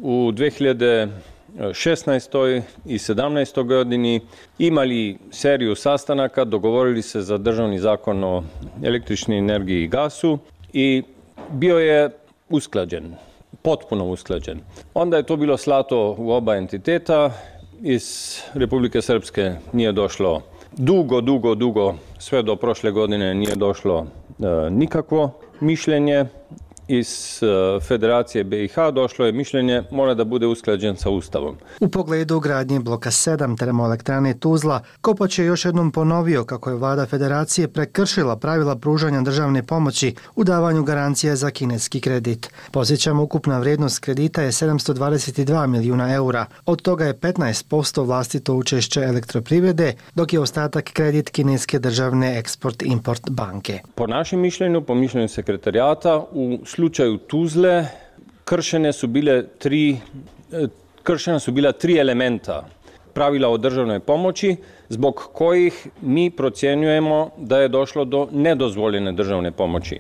u 2016. i 2017. godini imali seriju sastanaka, dogovorili se za državni zakon o električnoj energiji i gasu i bio je usklađen, potpuno usklađen. Onda je to bilo slato u oba entiteta, iz Republike Srpske nije došlo dugo, sve do prošle godine nije došlo nikakvo mišljenje. Iz Federacije BiH došlo je mišljenje mora da bude usklađen sa Ustavom. U pogledu gradnje bloka 7 termoelektrane Tuzla, Kopač je još jednom ponovio kako je vlada Federacije prekršila pravila pružanja državne pomoći u davanju garancija za kineski kredit. Podsjećamo, ukupna vrijednost kredita je 722 milijuna eura. Od toga je 15% vlastito učešće elektroprivrede, dok je ostatak kredit kineske državne Export-Import banke. Po našem mišljenju, po mišljenju sekretarijata, u slučaju Tuzle kršena su bila 3 elementa pravila o državnoj pomoći, zbog kojih mi procjenjujemo da je došlo do nedozvoljene državne pomoći.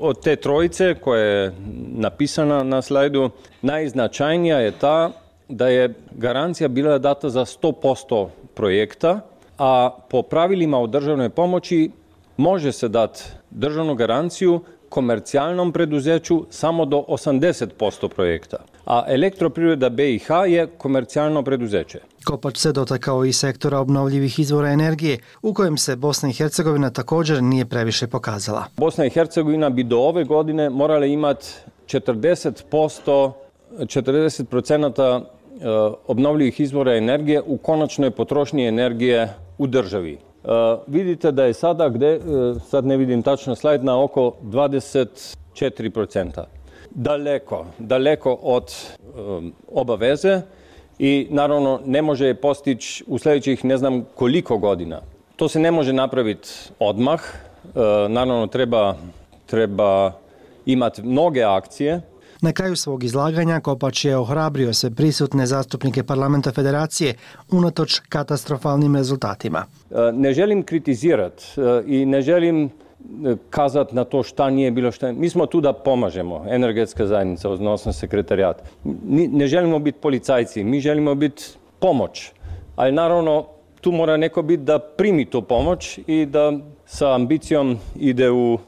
Od te trojice koja je napisana na slajdu, najznačajnija je ta da je garancija bila data za 100% projekta, a po pravilima o državnoj pomoći može se dati državnu garanciju komercijalnom preduzeću samo do 80% projekta, a Elektroprivreda BiH je komercijalno preduzeće. Kopač se dotakao i sektora obnovljivih izvora energije, u kojem se Bosna i Hercegovina također nije previše pokazala. Bosna i Hercegovina bi do ove godine morala imati 40% obnovljivih izvora energije u konačnoj potrošnji energije u državi. Vidite da je sada, sad ne vidim tačno slajd, na oko 24%. Daleko od obaveze i naravno ne može je postići u sljedećih ne znam koliko godina. To se ne može napraviti odmah, naravno treba imati mnoge akcije. Na kraju svog izlaganja Kopač je ohrabrio sve prisutne zastupnike Parlamenta Federacije unatoč katastrofalnim rezultatima. Ne želim kritizirati i ne želim kazati na to šta nije bilo šta. Mi smo tu da pomažemo, energetska zajednica, odnosno sekretarijat. Ne želimo biti policajci, mi želimo biti pomoć. Ali naravno tu mora neko biti da primi tu pomoć i da sa ambicijom ide u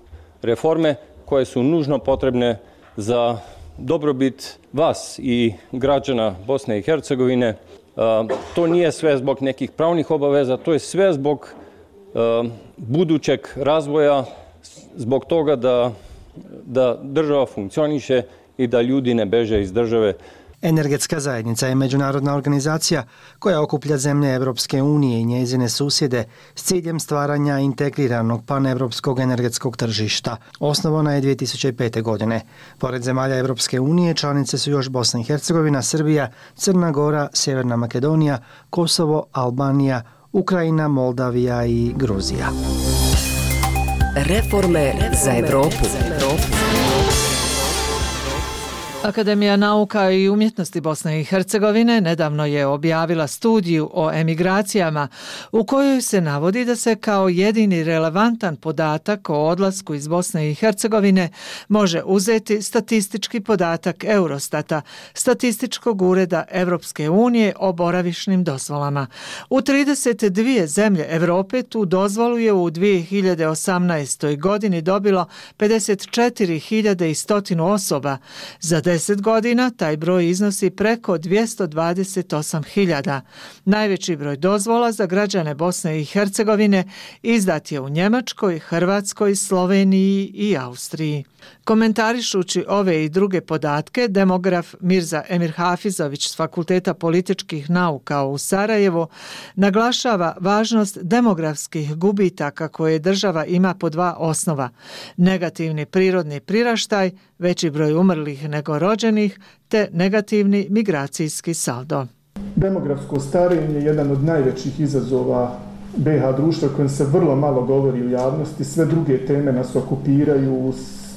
reforme koje su nužno potrebne za dobrobit vas i građana Bosne i Hercegovine. To nije sve zbog nekih pravnih obaveza, to je sve zbog budućeg razvoja, zbog toga da država funkcioniše i da ljudi ne beže iz države. Energetska zajednica je međunarodna organizacija koja okuplja zemlje Evropske unije i njezine susjede s ciljem stvaranja integriranog panevropskog energetskog tržišta. Osnovana je 2005. godine. Pored zemalja Evropske unije članice su još Bosna i Hercegovina, Srbija, Crna Gora, Sjeverna Makedonija, Kosovo, Albanija, Ukrajina, Moldavija i Gruzija. Reforme za Evropu. Akademija nauka i umjetnosti Bosne i Hercegovine nedavno je objavila studiju o emigracijama u kojoj se navodi da se kao jedini relevantan podatak o odlasku iz Bosne i Hercegovine može uzeti statistički podatak Eurostata, statističkog ureda Evropske unije o boravišnim dozvolama. U 32 zemlje Europe tu dozvolu je u 2018. godini dobilo 54.100 osoba. Za 10 godina taj broj iznosi preko 228.000. Najveći broj dozvola za građane Bosne i Hercegovine izdat je u Njemačkoj, Hrvatskoj, Sloveniji i Austriji. Komentarišući ove i druge podatke, demograf Mirza Emir Hafizović s Fakulteta političkih nauka u Sarajevu naglašava važnost demografskih gubitaka koje država ima po dva osnova: negativni prirodni priraštaj, veći broj umrlih nego rođenih, te negativni migracijski saldo. Demografsko starenje je jedan od najvećih izazova BiH društva kojem se vrlo malo govori u javnosti. Sve druge teme nas okupiraju,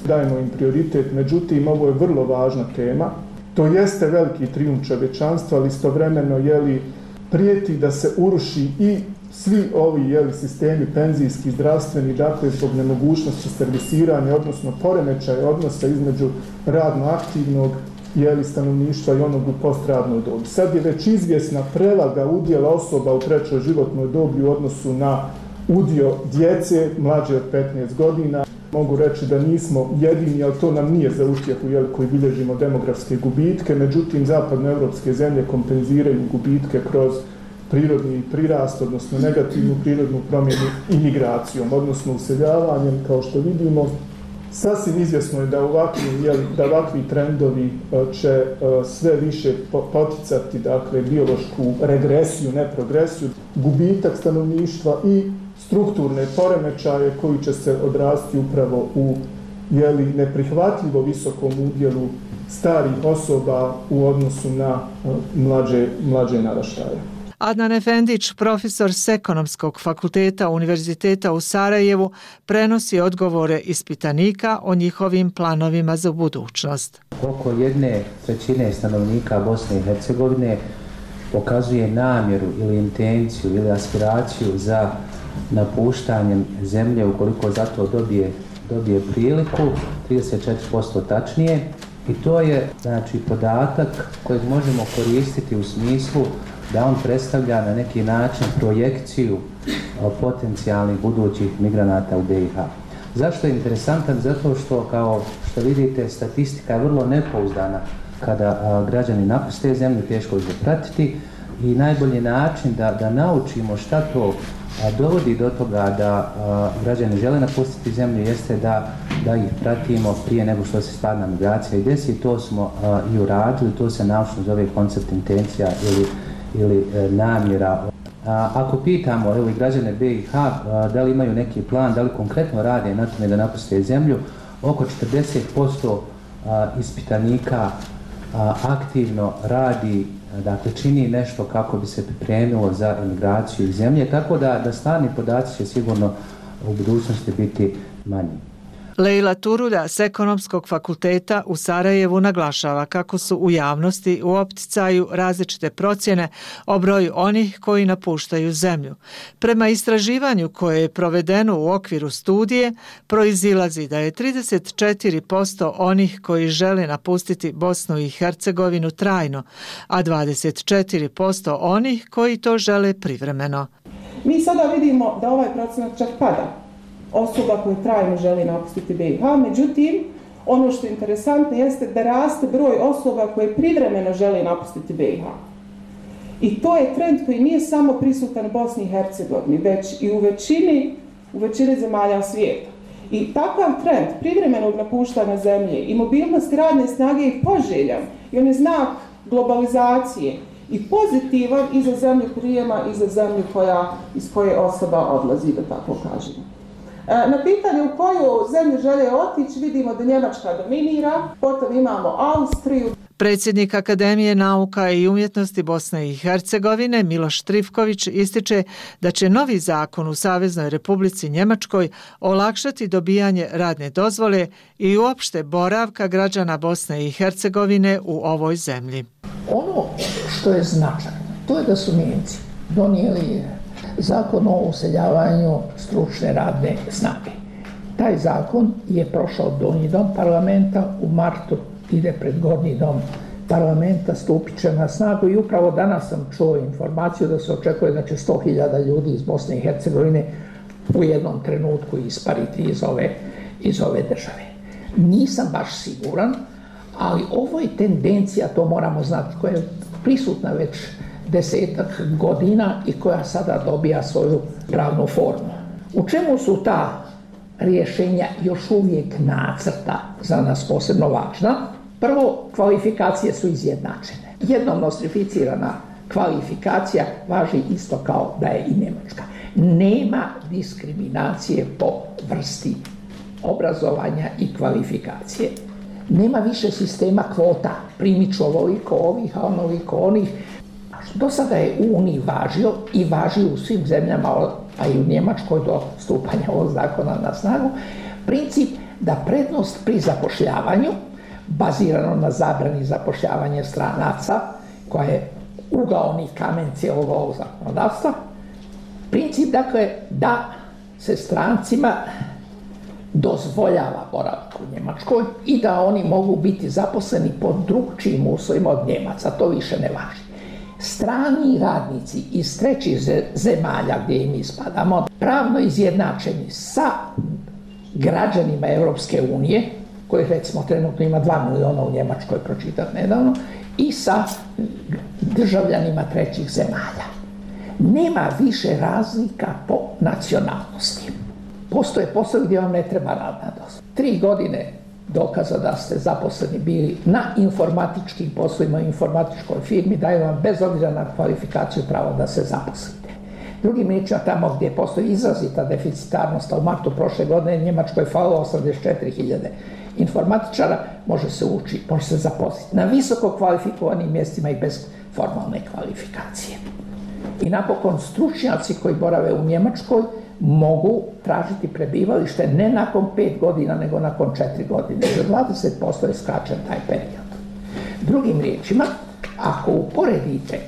dajemo im prioritet, međutim ovo je vrlo važna tema. To jeste veliki trijumf čovječanstva, ali istovremeno prijeti da se uruši i svi ovi sistemi penzijski, zdravstveni, dakle zbog nemogućnosti servisiranja, odnosno poremećaja odnosa između radno aktivnog stanovništva i onog u postradnoj dobi. Sad je već izvjesna prevaga udjela osoba u trećoj životnoj dobi u odnosu na udio djece mlađe od 15 godina. Mogu reći da nismo jedini, ali to nam nije za utjehu koji bilježimo demografske gubitke, međutim zapadnoevropske zemlje kompenziraju gubitke kroz prirodni prirast, odnosno negativnu prirodnu promjenu imigracijom, odnosno useljavanjem, kao što vidimo. Sasvim izvjesno je da ovakvi trendovi će sve više poticati biološku regresiju, ne progresiju, gubitak stanovništva i strukturne poremećaje koji će se odrasti upravo u neprihvatljivo visokom udjelu starih osoba u odnosu na mlađe naraštaje. Adnan Efendić, profesor s Ekonomskog fakulteta Univerziteta u Sarajevu, prenosi odgovore ispitanika o njihovim planovima za budućnost. Oko 1/3 stanovnika Bosne i Hercegovine pokazuje namjeru ili intenciju ili aspiraciju za napuštanjem zemlje ukoliko za to dobije priliku, 34% tačnije. I to je podatak kojeg možemo koristiti u smislu da on predstavlja na neki način projekciju potencijalnih budućih migranata u BiH. Zašto je interesantan? Zato što, kao što vidite, statistika je vrlo nepouzdana. Kada građani napuste zemlju, teško je pratiti i najbolji način da naučimo šta to dovodi do toga da građani žele napustiti zemlju jeste da ih pratimo prije nego što se stvarna migracija i desi. To smo i uradili, to se naučno zove koncept intencija ili namjera. Ako pitamo građane BiH da li imaju neki plan, da li konkretno rade na tome da napuste zemlju, oko 40% ispitanika aktivno radi, dakle čini nešto kako bi se pripremilo za emigraciju iz zemlje, tako da stvarni podaci će sigurno u budućnosti biti manji. Lejla Turuda s Ekonomskog fakulteta u Sarajevu naglašava kako su u javnosti u opticaju različite procjene o broju onih koji napuštaju zemlju. Prema istraživanju koje je provedeno u okviru studije, proizilazi da je 34% onih koji žele napustiti Bosnu i Hercegovinu trajno, a 24% onih koji to žele privremeno. Mi sada vidimo da ovaj procenat čak pada osoba koje trajno želi napustiti BiH, međutim, ono što je interesantno jeste da raste broj osoba koje privremeno žele napustiti BiH. I to je trend koji nije samo prisutan u Bosni i Hercegovini, već i u većini zemalja svijeta. I takav trend privremenog napuštanja zemlje i mobilnosti radne snage je poželjan i on je znak globalizacije i pozitivan i za zemlju prijema i za zemlju iz koje osoba odlazi, da tako kažemo. Na pitanje u koju zemlju žele otići vidimo da Njemačka dominira, potom imamo Austriju. Predsjednik Akademije nauka i umjetnosti Bosne i Hercegovine Miloš Trifković ističe da će novi zakon u Saveznoj Republici Njemačkoj olakšati dobijanje radne dozvole i uopšte boravka građana Bosne i Hercegovine u ovoj zemlji. Ono što je značajno, to je da su Njemci donijeli zakon o useljavanju stručne radne snage. Taj zakon je prošao Donji dom parlamenta, u martu ide pred Gornji dom parlamenta, stupit će na snagu i upravo danas sam čuo informaciju da se očekuje da će 100.000 ljudi iz Bosne i Hercegovine u jednom trenutku ispariti iz ove države. Nisam baš siguran, ali ovo je tendencija, to moramo znati, koja je prisutna već 10 godina i koja sada dobija svoju pravnu formu. U čemu su ta rješenja još uvijek nacrta za nas posebno važna? Prvo, kvalifikacije su izjednačene. Jednom nostrificirana kvalifikacija važi isto kao da je i njemačka. Nema diskriminacije po vrsti obrazovanja i kvalifikacije. Nema više sistema kvota, primit ću ovoliko ovih, a onoliko onih. Do sada je u Uniji važio i važi u svim zemljama, a i u Njemačkoj do stupanja ovog zakona na snagu, princip da prednost pri zapošljavanju, bazirano na zabrani zapošljavanja stranaca, koja je ugaoni kamen cijelog ovog zakonodavstva, princip dakle da se strancima dozvoljava boravak u Njemačkoj i da oni mogu biti zaposleni pod drugčijim uslovima od Njemaca, to više ne važi. Strani radnici iz trećih zemalja gdje i mi spadamo, pravno izjednačeni sa građanima Europske unije, kojih recimo trenutno ima 2 miliona u Njemačkoj, pročitati nedavno, i sa državljanima trećih zemalja. Nema više razlika po nacionalnosti. Postoje poslovi gdje vam ne treba radna dozvola. 3 godine dokaza da ste zaposleni bili na informatičkim poslovima u informatičkoj firmi daju vam bez obzira na kvalifikaciju pravo da se zaposlite. Drugim riječima, tamo gdje postoji izrazita deficitarnost, a u martu prošle godine Njemačkoj je falilo 84.000 informatičara, može se zaposliti na visoko kvalifikovanim mjestima i bez formalne kvalifikacije. I napokon stručnjaci koji borave u Njemačkoj mogu tražiti prebivalište ne nakon 5 godina, nego nakon 4 godine. Za 20% je skraćen taj period. Drugim riječima, ako uporedite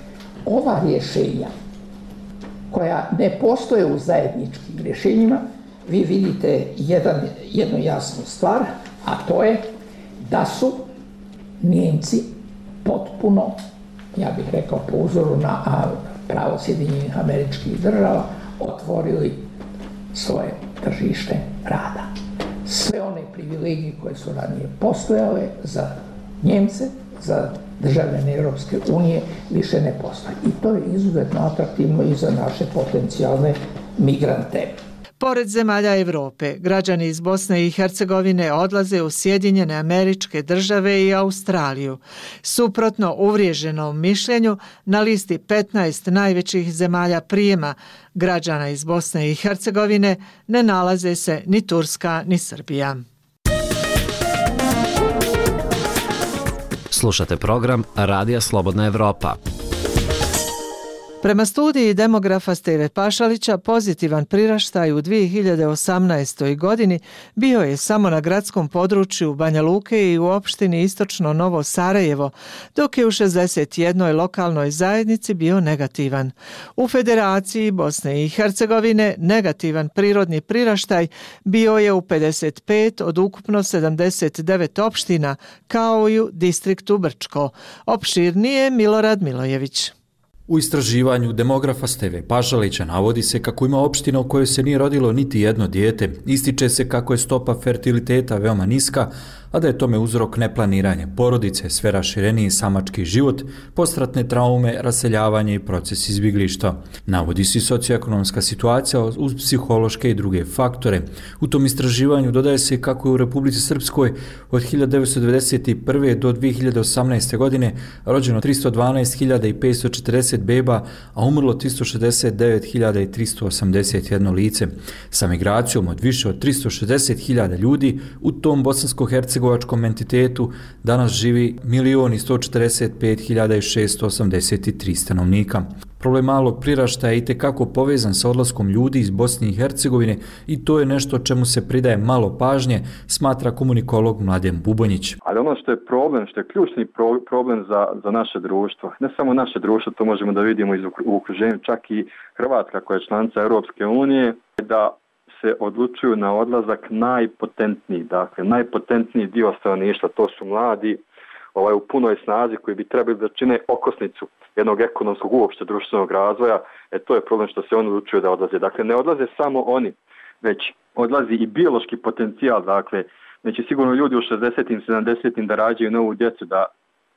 ova rješenja koja ne postoje u zajedničkim rješenjima, vi vidite jednu jasnu stvar, a to je da su Nijemci potpuno, ja bih rekao po uzoru na pravo Sjedinjenih Američkih Država, otvorili svoje tržište rada. Sve one privilegije koje su ranije postojale za Njemce, za državljane Europske unije, više ne postoje. I to je izuzetno atraktivno i za naše potencijalne migrante. Pored zemalja Europe, građani iz Bosne i Hercegovine odlaze u Sjedinjene Američke Države i Australiju. Suprotno uvriježenom mišljenju, na listi 15 najvećih zemalja prijema građana iz Bosne i Hercegovine ne nalaze se ni Turska ni Srbija. Slušate program Radija Slobodna Evropa. Prema studiji demografa Steve Pašalića, pozitivan priraštaj u 2018. godini bio je samo na gradskom području Banja Luke i u opštini Istočno Novo Sarajevo, dok je u 61. lokalnoj zajednici bio negativan. U Federaciji Bosne i Hercegovine negativan prirodni priraštaj bio je u 55 od ukupno 79 opština, kao i u distriktu Brčko. Opširnije Milorad Milojević. U istraživanju demografa Steve Pašalića navodi se kako ima opština u kojoj se nije rodilo niti jedno dijete, ističe se kako je stopa fertiliteta veoma niska, a da je tome uzrok neplaniranje porodice, sve rašireniji samački život, postratne traume, raseljavanje i proces izbjeglištva. Navodi se socioekonomska situacija uz psihološke i druge faktore. U tom istraživanju dodaje se kako je u Republici Srpskoj od 1991. do 2018. godine rođeno 312.540 310 beba, a umrlo 369.381 lice. Sa migracijom od više od 360.000 ljudi u tom bosansko-hercegovačkom entitetu danas živi 1.145.683 stanovnika. Problem malog priraštaja je itekako povezan sa odlaskom ljudi iz Bosne i Hercegovine i to je nešto čemu se pridaje malo pažnje, smatra komunikolog Mladen Bubonjić. Ali ono što je problem, što je ključni problem za naše društvo, ne samo naše društvo, to možemo da vidimo u okruženju, čak i Hrvatska koja je članica Europske unije, da se odlučuju na odlazak najpotentniji dio stanovništva, to su mladi u punoj snazi koji bi trebali da čine okosnicu jednog ekonomskog uopšte društvenog razvoja, to je problem što se oni odlučuju da odlaze. Dakle, ne odlaze samo oni, već odlazi i biološki potencijal, dakle, neće sigurno ljudi u 60-im, 70-im da rađaju novu djecu,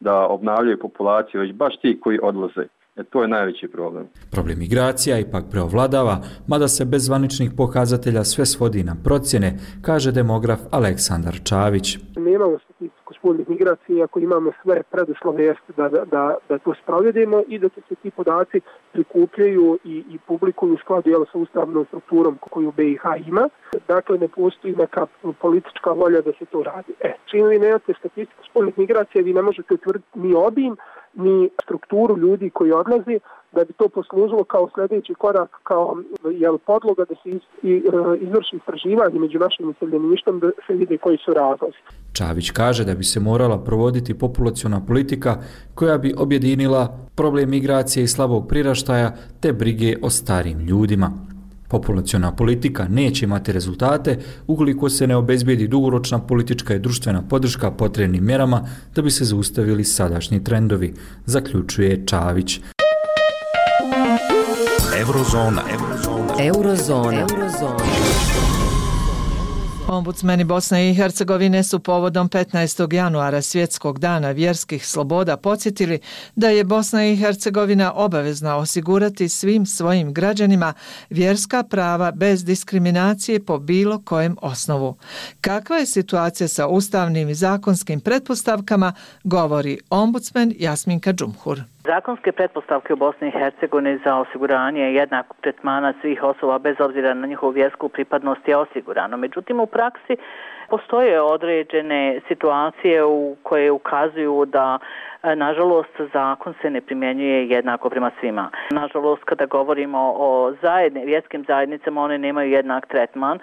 da obnavljaju populaciju, već baš ti koji odlaze. To je najveći problem. Problem migracija ipak preovladava, mada se bez zvaničnih pokazatelja sve svodi na procjene, kaže demograf Aleksandar Čavić. Nemamo statistiku spoljnih migracija, ako imamo sve preduslove da to sprovedemo i da se ti podaci prikupljaju i publikuju u skladu sa ustavnom strukturom koju BiH ima. Dakle, ne postoji neka politička volja da se to radi. Čim vi nemate statistiku spoljnih migracija, vi ne možete utvrditi ni obim, ni strukturu ljudi koji odlazi, da bi to poslužilo kao sljedeći korak, kao podloga da se izvrši istraživanje među našim iseljeništvom, da se vide koji su razlozi. Čavić kaže da bi se morala provoditi populaciona politika koja bi objedinila problem migracije i slabog priraštaja te brige o starim ljudima. Populaciona politika neće imati rezultate ukoliko se ne obezbijedi dugoročna politička i društvena podrška potrebnim mjerama da bi se zaustavili sadašnji trendovi, zaključuje Čavić. Eurozona. Ombudsmeni Bosne i Hercegovine su povodom 15. januara Svjetskog dana vjerskih sloboda podsjetili da je Bosna i Hercegovina obavezna osigurati svim svojim građanima vjerska prava bez diskriminacije po bilo kojem osnovu. Kakva je situacija sa ustavnim i zakonskim pretpostavkama, govori ombudsmen Jasminka Džumhur. Zakonske pretpostavke u Bosni i Hercegovini za osiguranje jednakog tretmana svih osoba bez obzira na njihovu vjersku pripadnost je osigurano. Međutim, u praksi postoje određene situacije u koje ukazuju da nažalost zakon se ne primjenjuje jednako prema svima. Nažalost, kada govorimo o vjerskim zajednicama, one nemaju jednak tretman,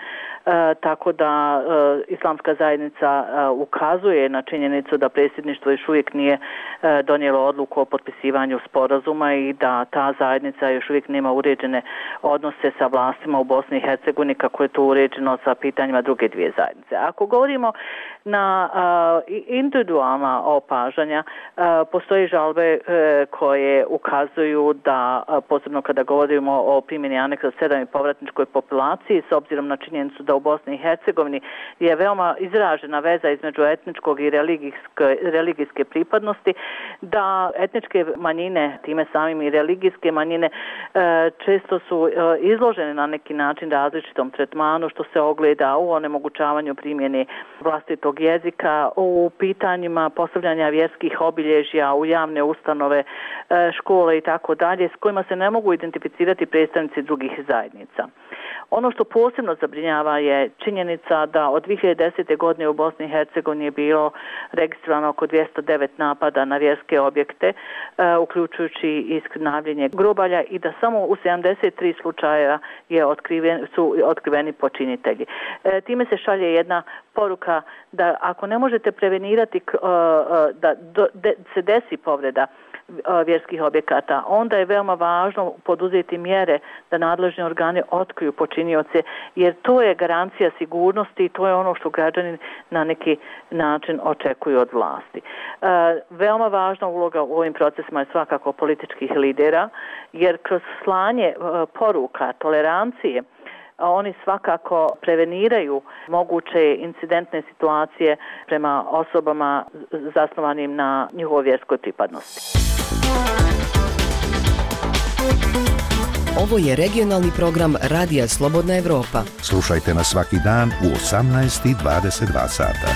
tako da islamska zajednica ukazuje na činjenicu da predsjedništvo još uvijek nije donijelo odluku o potpisivanju sporazuma i da ta zajednica još uvijek nema uređene odnose sa vlastima u Bosni i Hercegovini kako je to uređeno sa pitanjima druge dvije zajednice. Ako govorimo na individualna opažanja, postoje žalbe koje ukazuju da, posebno kada govorimo o primjeni aneksa 7 i povratničkoj populaciji, s obzirom na činjenicu da u Bosni i Hercegovini je veoma izražena veza između etničkog i religijske pripadnosti, da etničke manjine, time samim i religijske manjine, često su izložene na neki način različitom tretmanu, što se ogleda u onemogućavanju primjene vlastitog jezika, u pitanjima postavljanja vjerskih obilježja u javne ustanove, škole i tako dalje, s kojima se ne mogu identificirati predstavnici drugih zajednica. Ono što posebno zabrinjava je činjenica da od 2010. godine u Bosni i Hercegovini je bilo registrovano oko 209 napada na vjerske objekte, uključujući i skrnavljenje grobalja, i da samo u 73 slučaja su otkriveni počinitelji. Time se šalje jedna poruka da ako ne možete prevenirati da se desi povreda vjerskih objekata, onda je veoma važno poduzeti mjere da nadležni organi otkriju počinioce, jer to je garancija sigurnosti i to je ono što građani na neki način očekuju od vlasti. Veoma važna uloga u ovim procesima je svakako političkih lidera, jer kroz slanje poruka tolerancije oni svakako preveniraju moguće incidentne situacije prema osobama zasnovanim na njihovoj vjerskoj pripadnosti. Ovo je regionalni program Radija Slobodna Evropa. Slušajte nas svaki dan u 18:22 sata.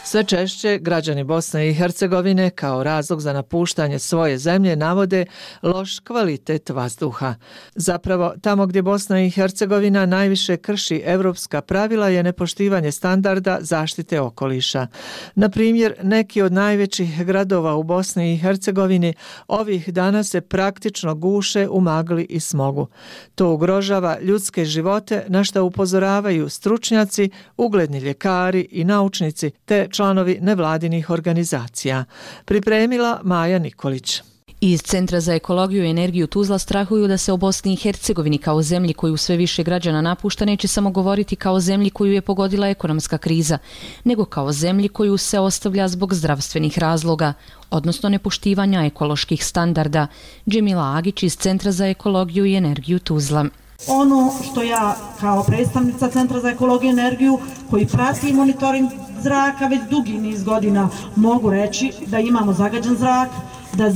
Sve češće građani Bosne i Hercegovine kao razlog za napuštanje svoje zemlje navode loš kvalitet vazduha. Zapravo, tamo gdje Bosna i Hercegovina najviše krši evropska pravila je nepoštivanje standarda zaštite okoliša. Na primjer, neki od najvećih gradova u Bosni i Hercegovini ovih dana se praktično guše u magli i smogu. To ugrožava ljudske živote, na što upozoravaju stručnjaci, ugledni ljekari i naučnici te članovi nevladinih organizacija. Pripremila Maja Nikolić. Iz Centra za ekologiju i energiju Tuzla strahuju da se o Bosni i Hercegovini kao zemlji koju sve više građana napušta neće samo govoriti kao zemlji koju je pogodila ekonomska kriza, nego kao zemlji koju se ostavlja zbog zdravstvenih razloga, odnosno nepoštivanja ekoloških standarda. Džemila Agić iz Centra za ekologiju i energiju Tuzla. Ono što ja kao predstavnica Centra za ekologiju i energiju koji prati monitoring zraka već dugi niz godina mogu reći da imamo zagađen zrak,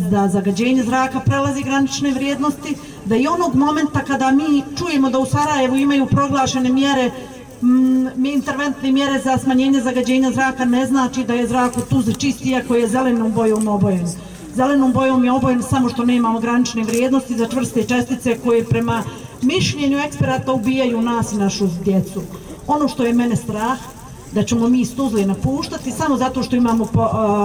da zagađenje zraka prelazi granične vrijednosti, da i onog momenta kada mi čujemo da u Sarajevu imaju proglašene mjere, interventne mjere za smanjenje zagađenja zraka, ne znači da je zrak u Tuzli čist, iako je zelenom bojom obojen. Zelenom bojom je obojen samo što nemamo granične vrijednosti za čvrste čestice koje prema mišljenju eksperata ubijaju nas i našu djecu. Ono što je mene strah, da ćemo mi iz Tuzle napuštati samo zato što imamo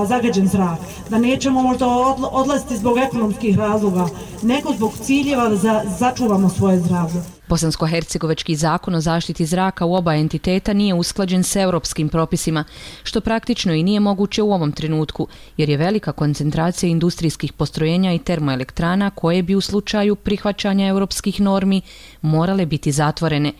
zagađen zrak, da nećemo možda odlaziti zbog ekonomskih razloga, nego zbog ciljeva da začuvamo svoje zdravlje. Bosansko-hercegovački zakon o zaštiti zraka u oba entiteta nije usklađen s europskim propisima, što praktično i nije moguće u ovom trenutku, jer je velika koncentracija industrijskih postrojenja i termoelektrana koje bi u slučaju prihvaćanja europskih normi morale biti zatvorene.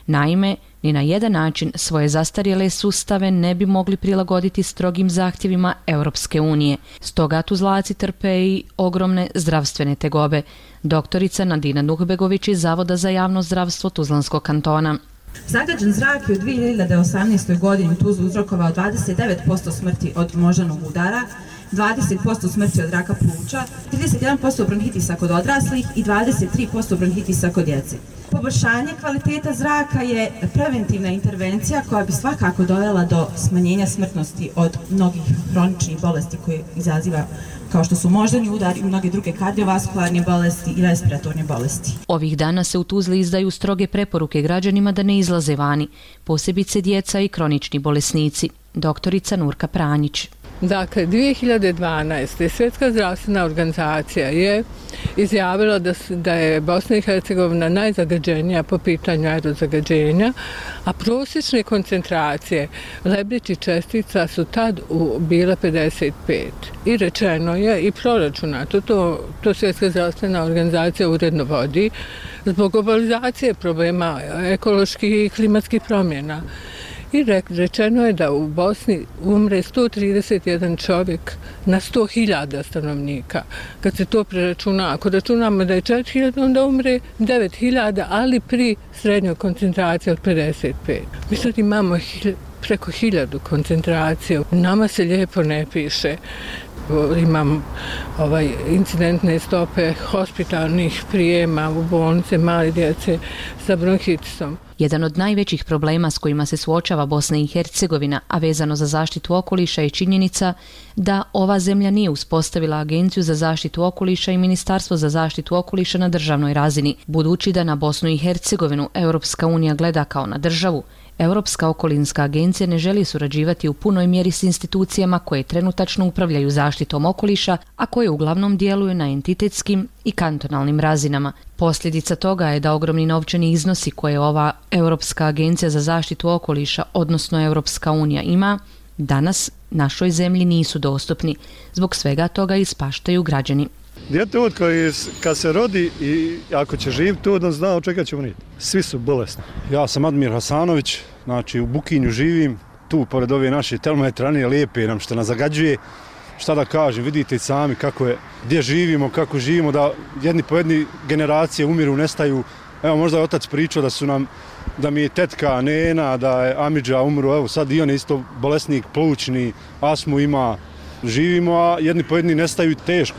Naime, ni na jedan način svoje zastarjele sustave ne bi mogli prilagoditi strogim zahtjevima Europske unije. Stoga Tuzlaci trpe i ogromne zdravstvene tegobe. Doktorica Nadina Nuhbegović iz Zavoda za javno zdravstvo Tuzlanskog kantona. Zagađen zrak je u 2018. godini u Tuzli uzrokovao 29% smrti od moždanog udara, 20% smrti od raka pluća, 31% bronhitisa kod odraslih i 23% bronhitisa kod djece. Poboljšanje kvaliteta zraka je preventivna intervencija koja bi svakako dovela do smanjenja smrtnosti od mnogih hroničnih bolesti koje izaziva, kao što su moždani udar i mnoge druge kardiovaskularne bolesti i respiratorne bolesti. Ovih dana se u Tuzli izdaju stroge preporuke građanima da ne izlaze vani, posebice djeca i kronični bolesnici. Doktorica Nurka Pranjić. Dakle, 2012. Svjetska zdravstvena organizacija je izjavila da je Bosna i Hercegovina najzagađenija po pitanju aerozagađenja, a prosječne koncentracije lebdećih čestica su tad bile 55. I rečeno je i proračunato, to Svjetska zdravstvena organizacija uredno vodi, zbog globalizacije problema ekoloških i klimatskih promjena. I rečeno je da u Bosni umre 131 čovjek na 100.000 stanovnika. Kad se to preračuna, ako računamo da je 4.000, onda umre 9.000, ali pri srednjoj koncentraciji od 55. Mi sad imamo preko 1000 koncentracija. Nama se lijepo ne piše. Imam incidentne stope hospitalnih prijema u bolnice male djece sa bronhitisom. Jedan od najvećih problema s kojima se suočava Bosna i Hercegovina, a vezano za zaštitu okoliša, je činjenica da ova zemlja nije uspostavila Agenciju za zaštitu okoliša i Ministarstvo za zaštitu okoliša na državnoj razini. Budući da na Bosnu i Hercegovinu Europska unija gleda kao na državu, Europska okolinska agencija ne želi surađivati u punoj mjeri s institucijama koje trenutačno upravljaju zaštitom okoliša, a koje uglavnom djeluju na entitetskim i kantonalnim razinama. Posljedica toga je da ogromni novčani iznosi koje ova Europska agencija za zaštitu okoliša, odnosno Europska unija, ima, danas našoj zemlji nisu dostupni. Zbog svega toga ispaštaju građani. Dijete kad se rodi i ako će živjeti tu, on zna od čega će umrijeti. Svi su bolesni. Ja sam Admir Hasanović, znači u Bukinju živim, tu pored ove naše termoelektrane lijepe nam što nas zagađuje. Šta da kažem, vidite sami kako je, gdje živimo, kako živimo, da jedni po jedni generacije umiru, nestaju. Evo, možda je otac pričao da mi je tetka Nena, da je Amidža umru, evo sad i on je isto bolesnik plućni, astmu ima. živimo, a jedni po jedni nestaju teško.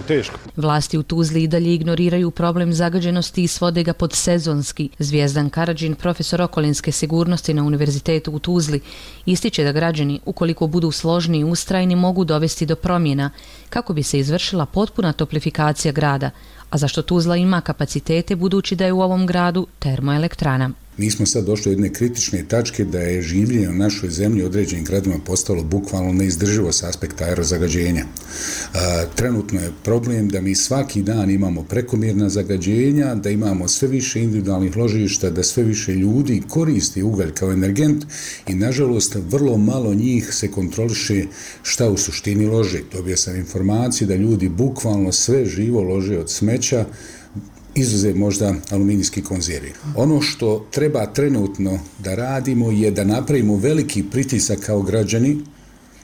Vlasti u Tuzli i dalje ignoriraju problem zagađenosti i svode ga pod sezonski. Zvijezdan Karadžin, profesor okolinske sigurnosti na Univerzitetu u Tuzli, ističe da građani, ukoliko budu složni i ustrajni, mogu dovesti do promjena kako bi se izvršila potpuna toplifikacija grada, a zašto Tuzla ima kapacitete budući da je u ovom gradu termoelektrana. Mi smo sad došli do jedne kritične tačke da je življenje u našoj zemlji određenim gradima postalo bukvalno neizdrživo s aspekta aerozagađenja. Trenutno je problem da mi svaki dan imamo prekomjerna zagađenja, da imamo sve više individualnih ložišta, da sve više ljudi koristi ugalj kao energent i nažalost vrlo malo njih se kontroliše šta u suštini lože. Dobio sam informaciju da ljudi bukvalno sve živo lože od smeća, izuzev možda aluminijski konzervi. Ono što treba trenutno da radimo je da napravimo veliki pritisak kao građani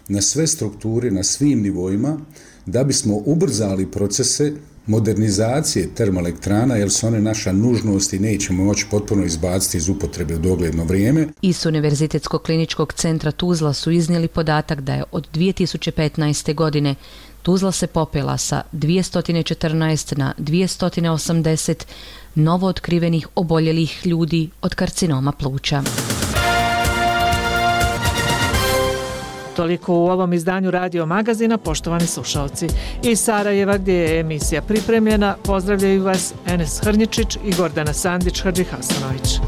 na sve strukture, na svim nivoima, da bismo ubrzali procese modernizacije termoelektrana, jer su one naša nužnost i nećemo moći potpuno izbaciti iz upotrebe u dogledno vrijeme. Iz Univerzitetskog kliničkog centra Tuzla su iznijeli podatak da je od 2015. godine Tuzla se popela sa 214 na 280 novo otkrivenih oboljelih ljudi od karcinoma pluća. Toliko u ovom izdanju Radio Magazina, poštovani slušalci. Iz Sarajeva, gdje je emisija pripremljena, pozdravljaju vas Enes Hrnječić i Gordana Sandić-Hadžihasanović.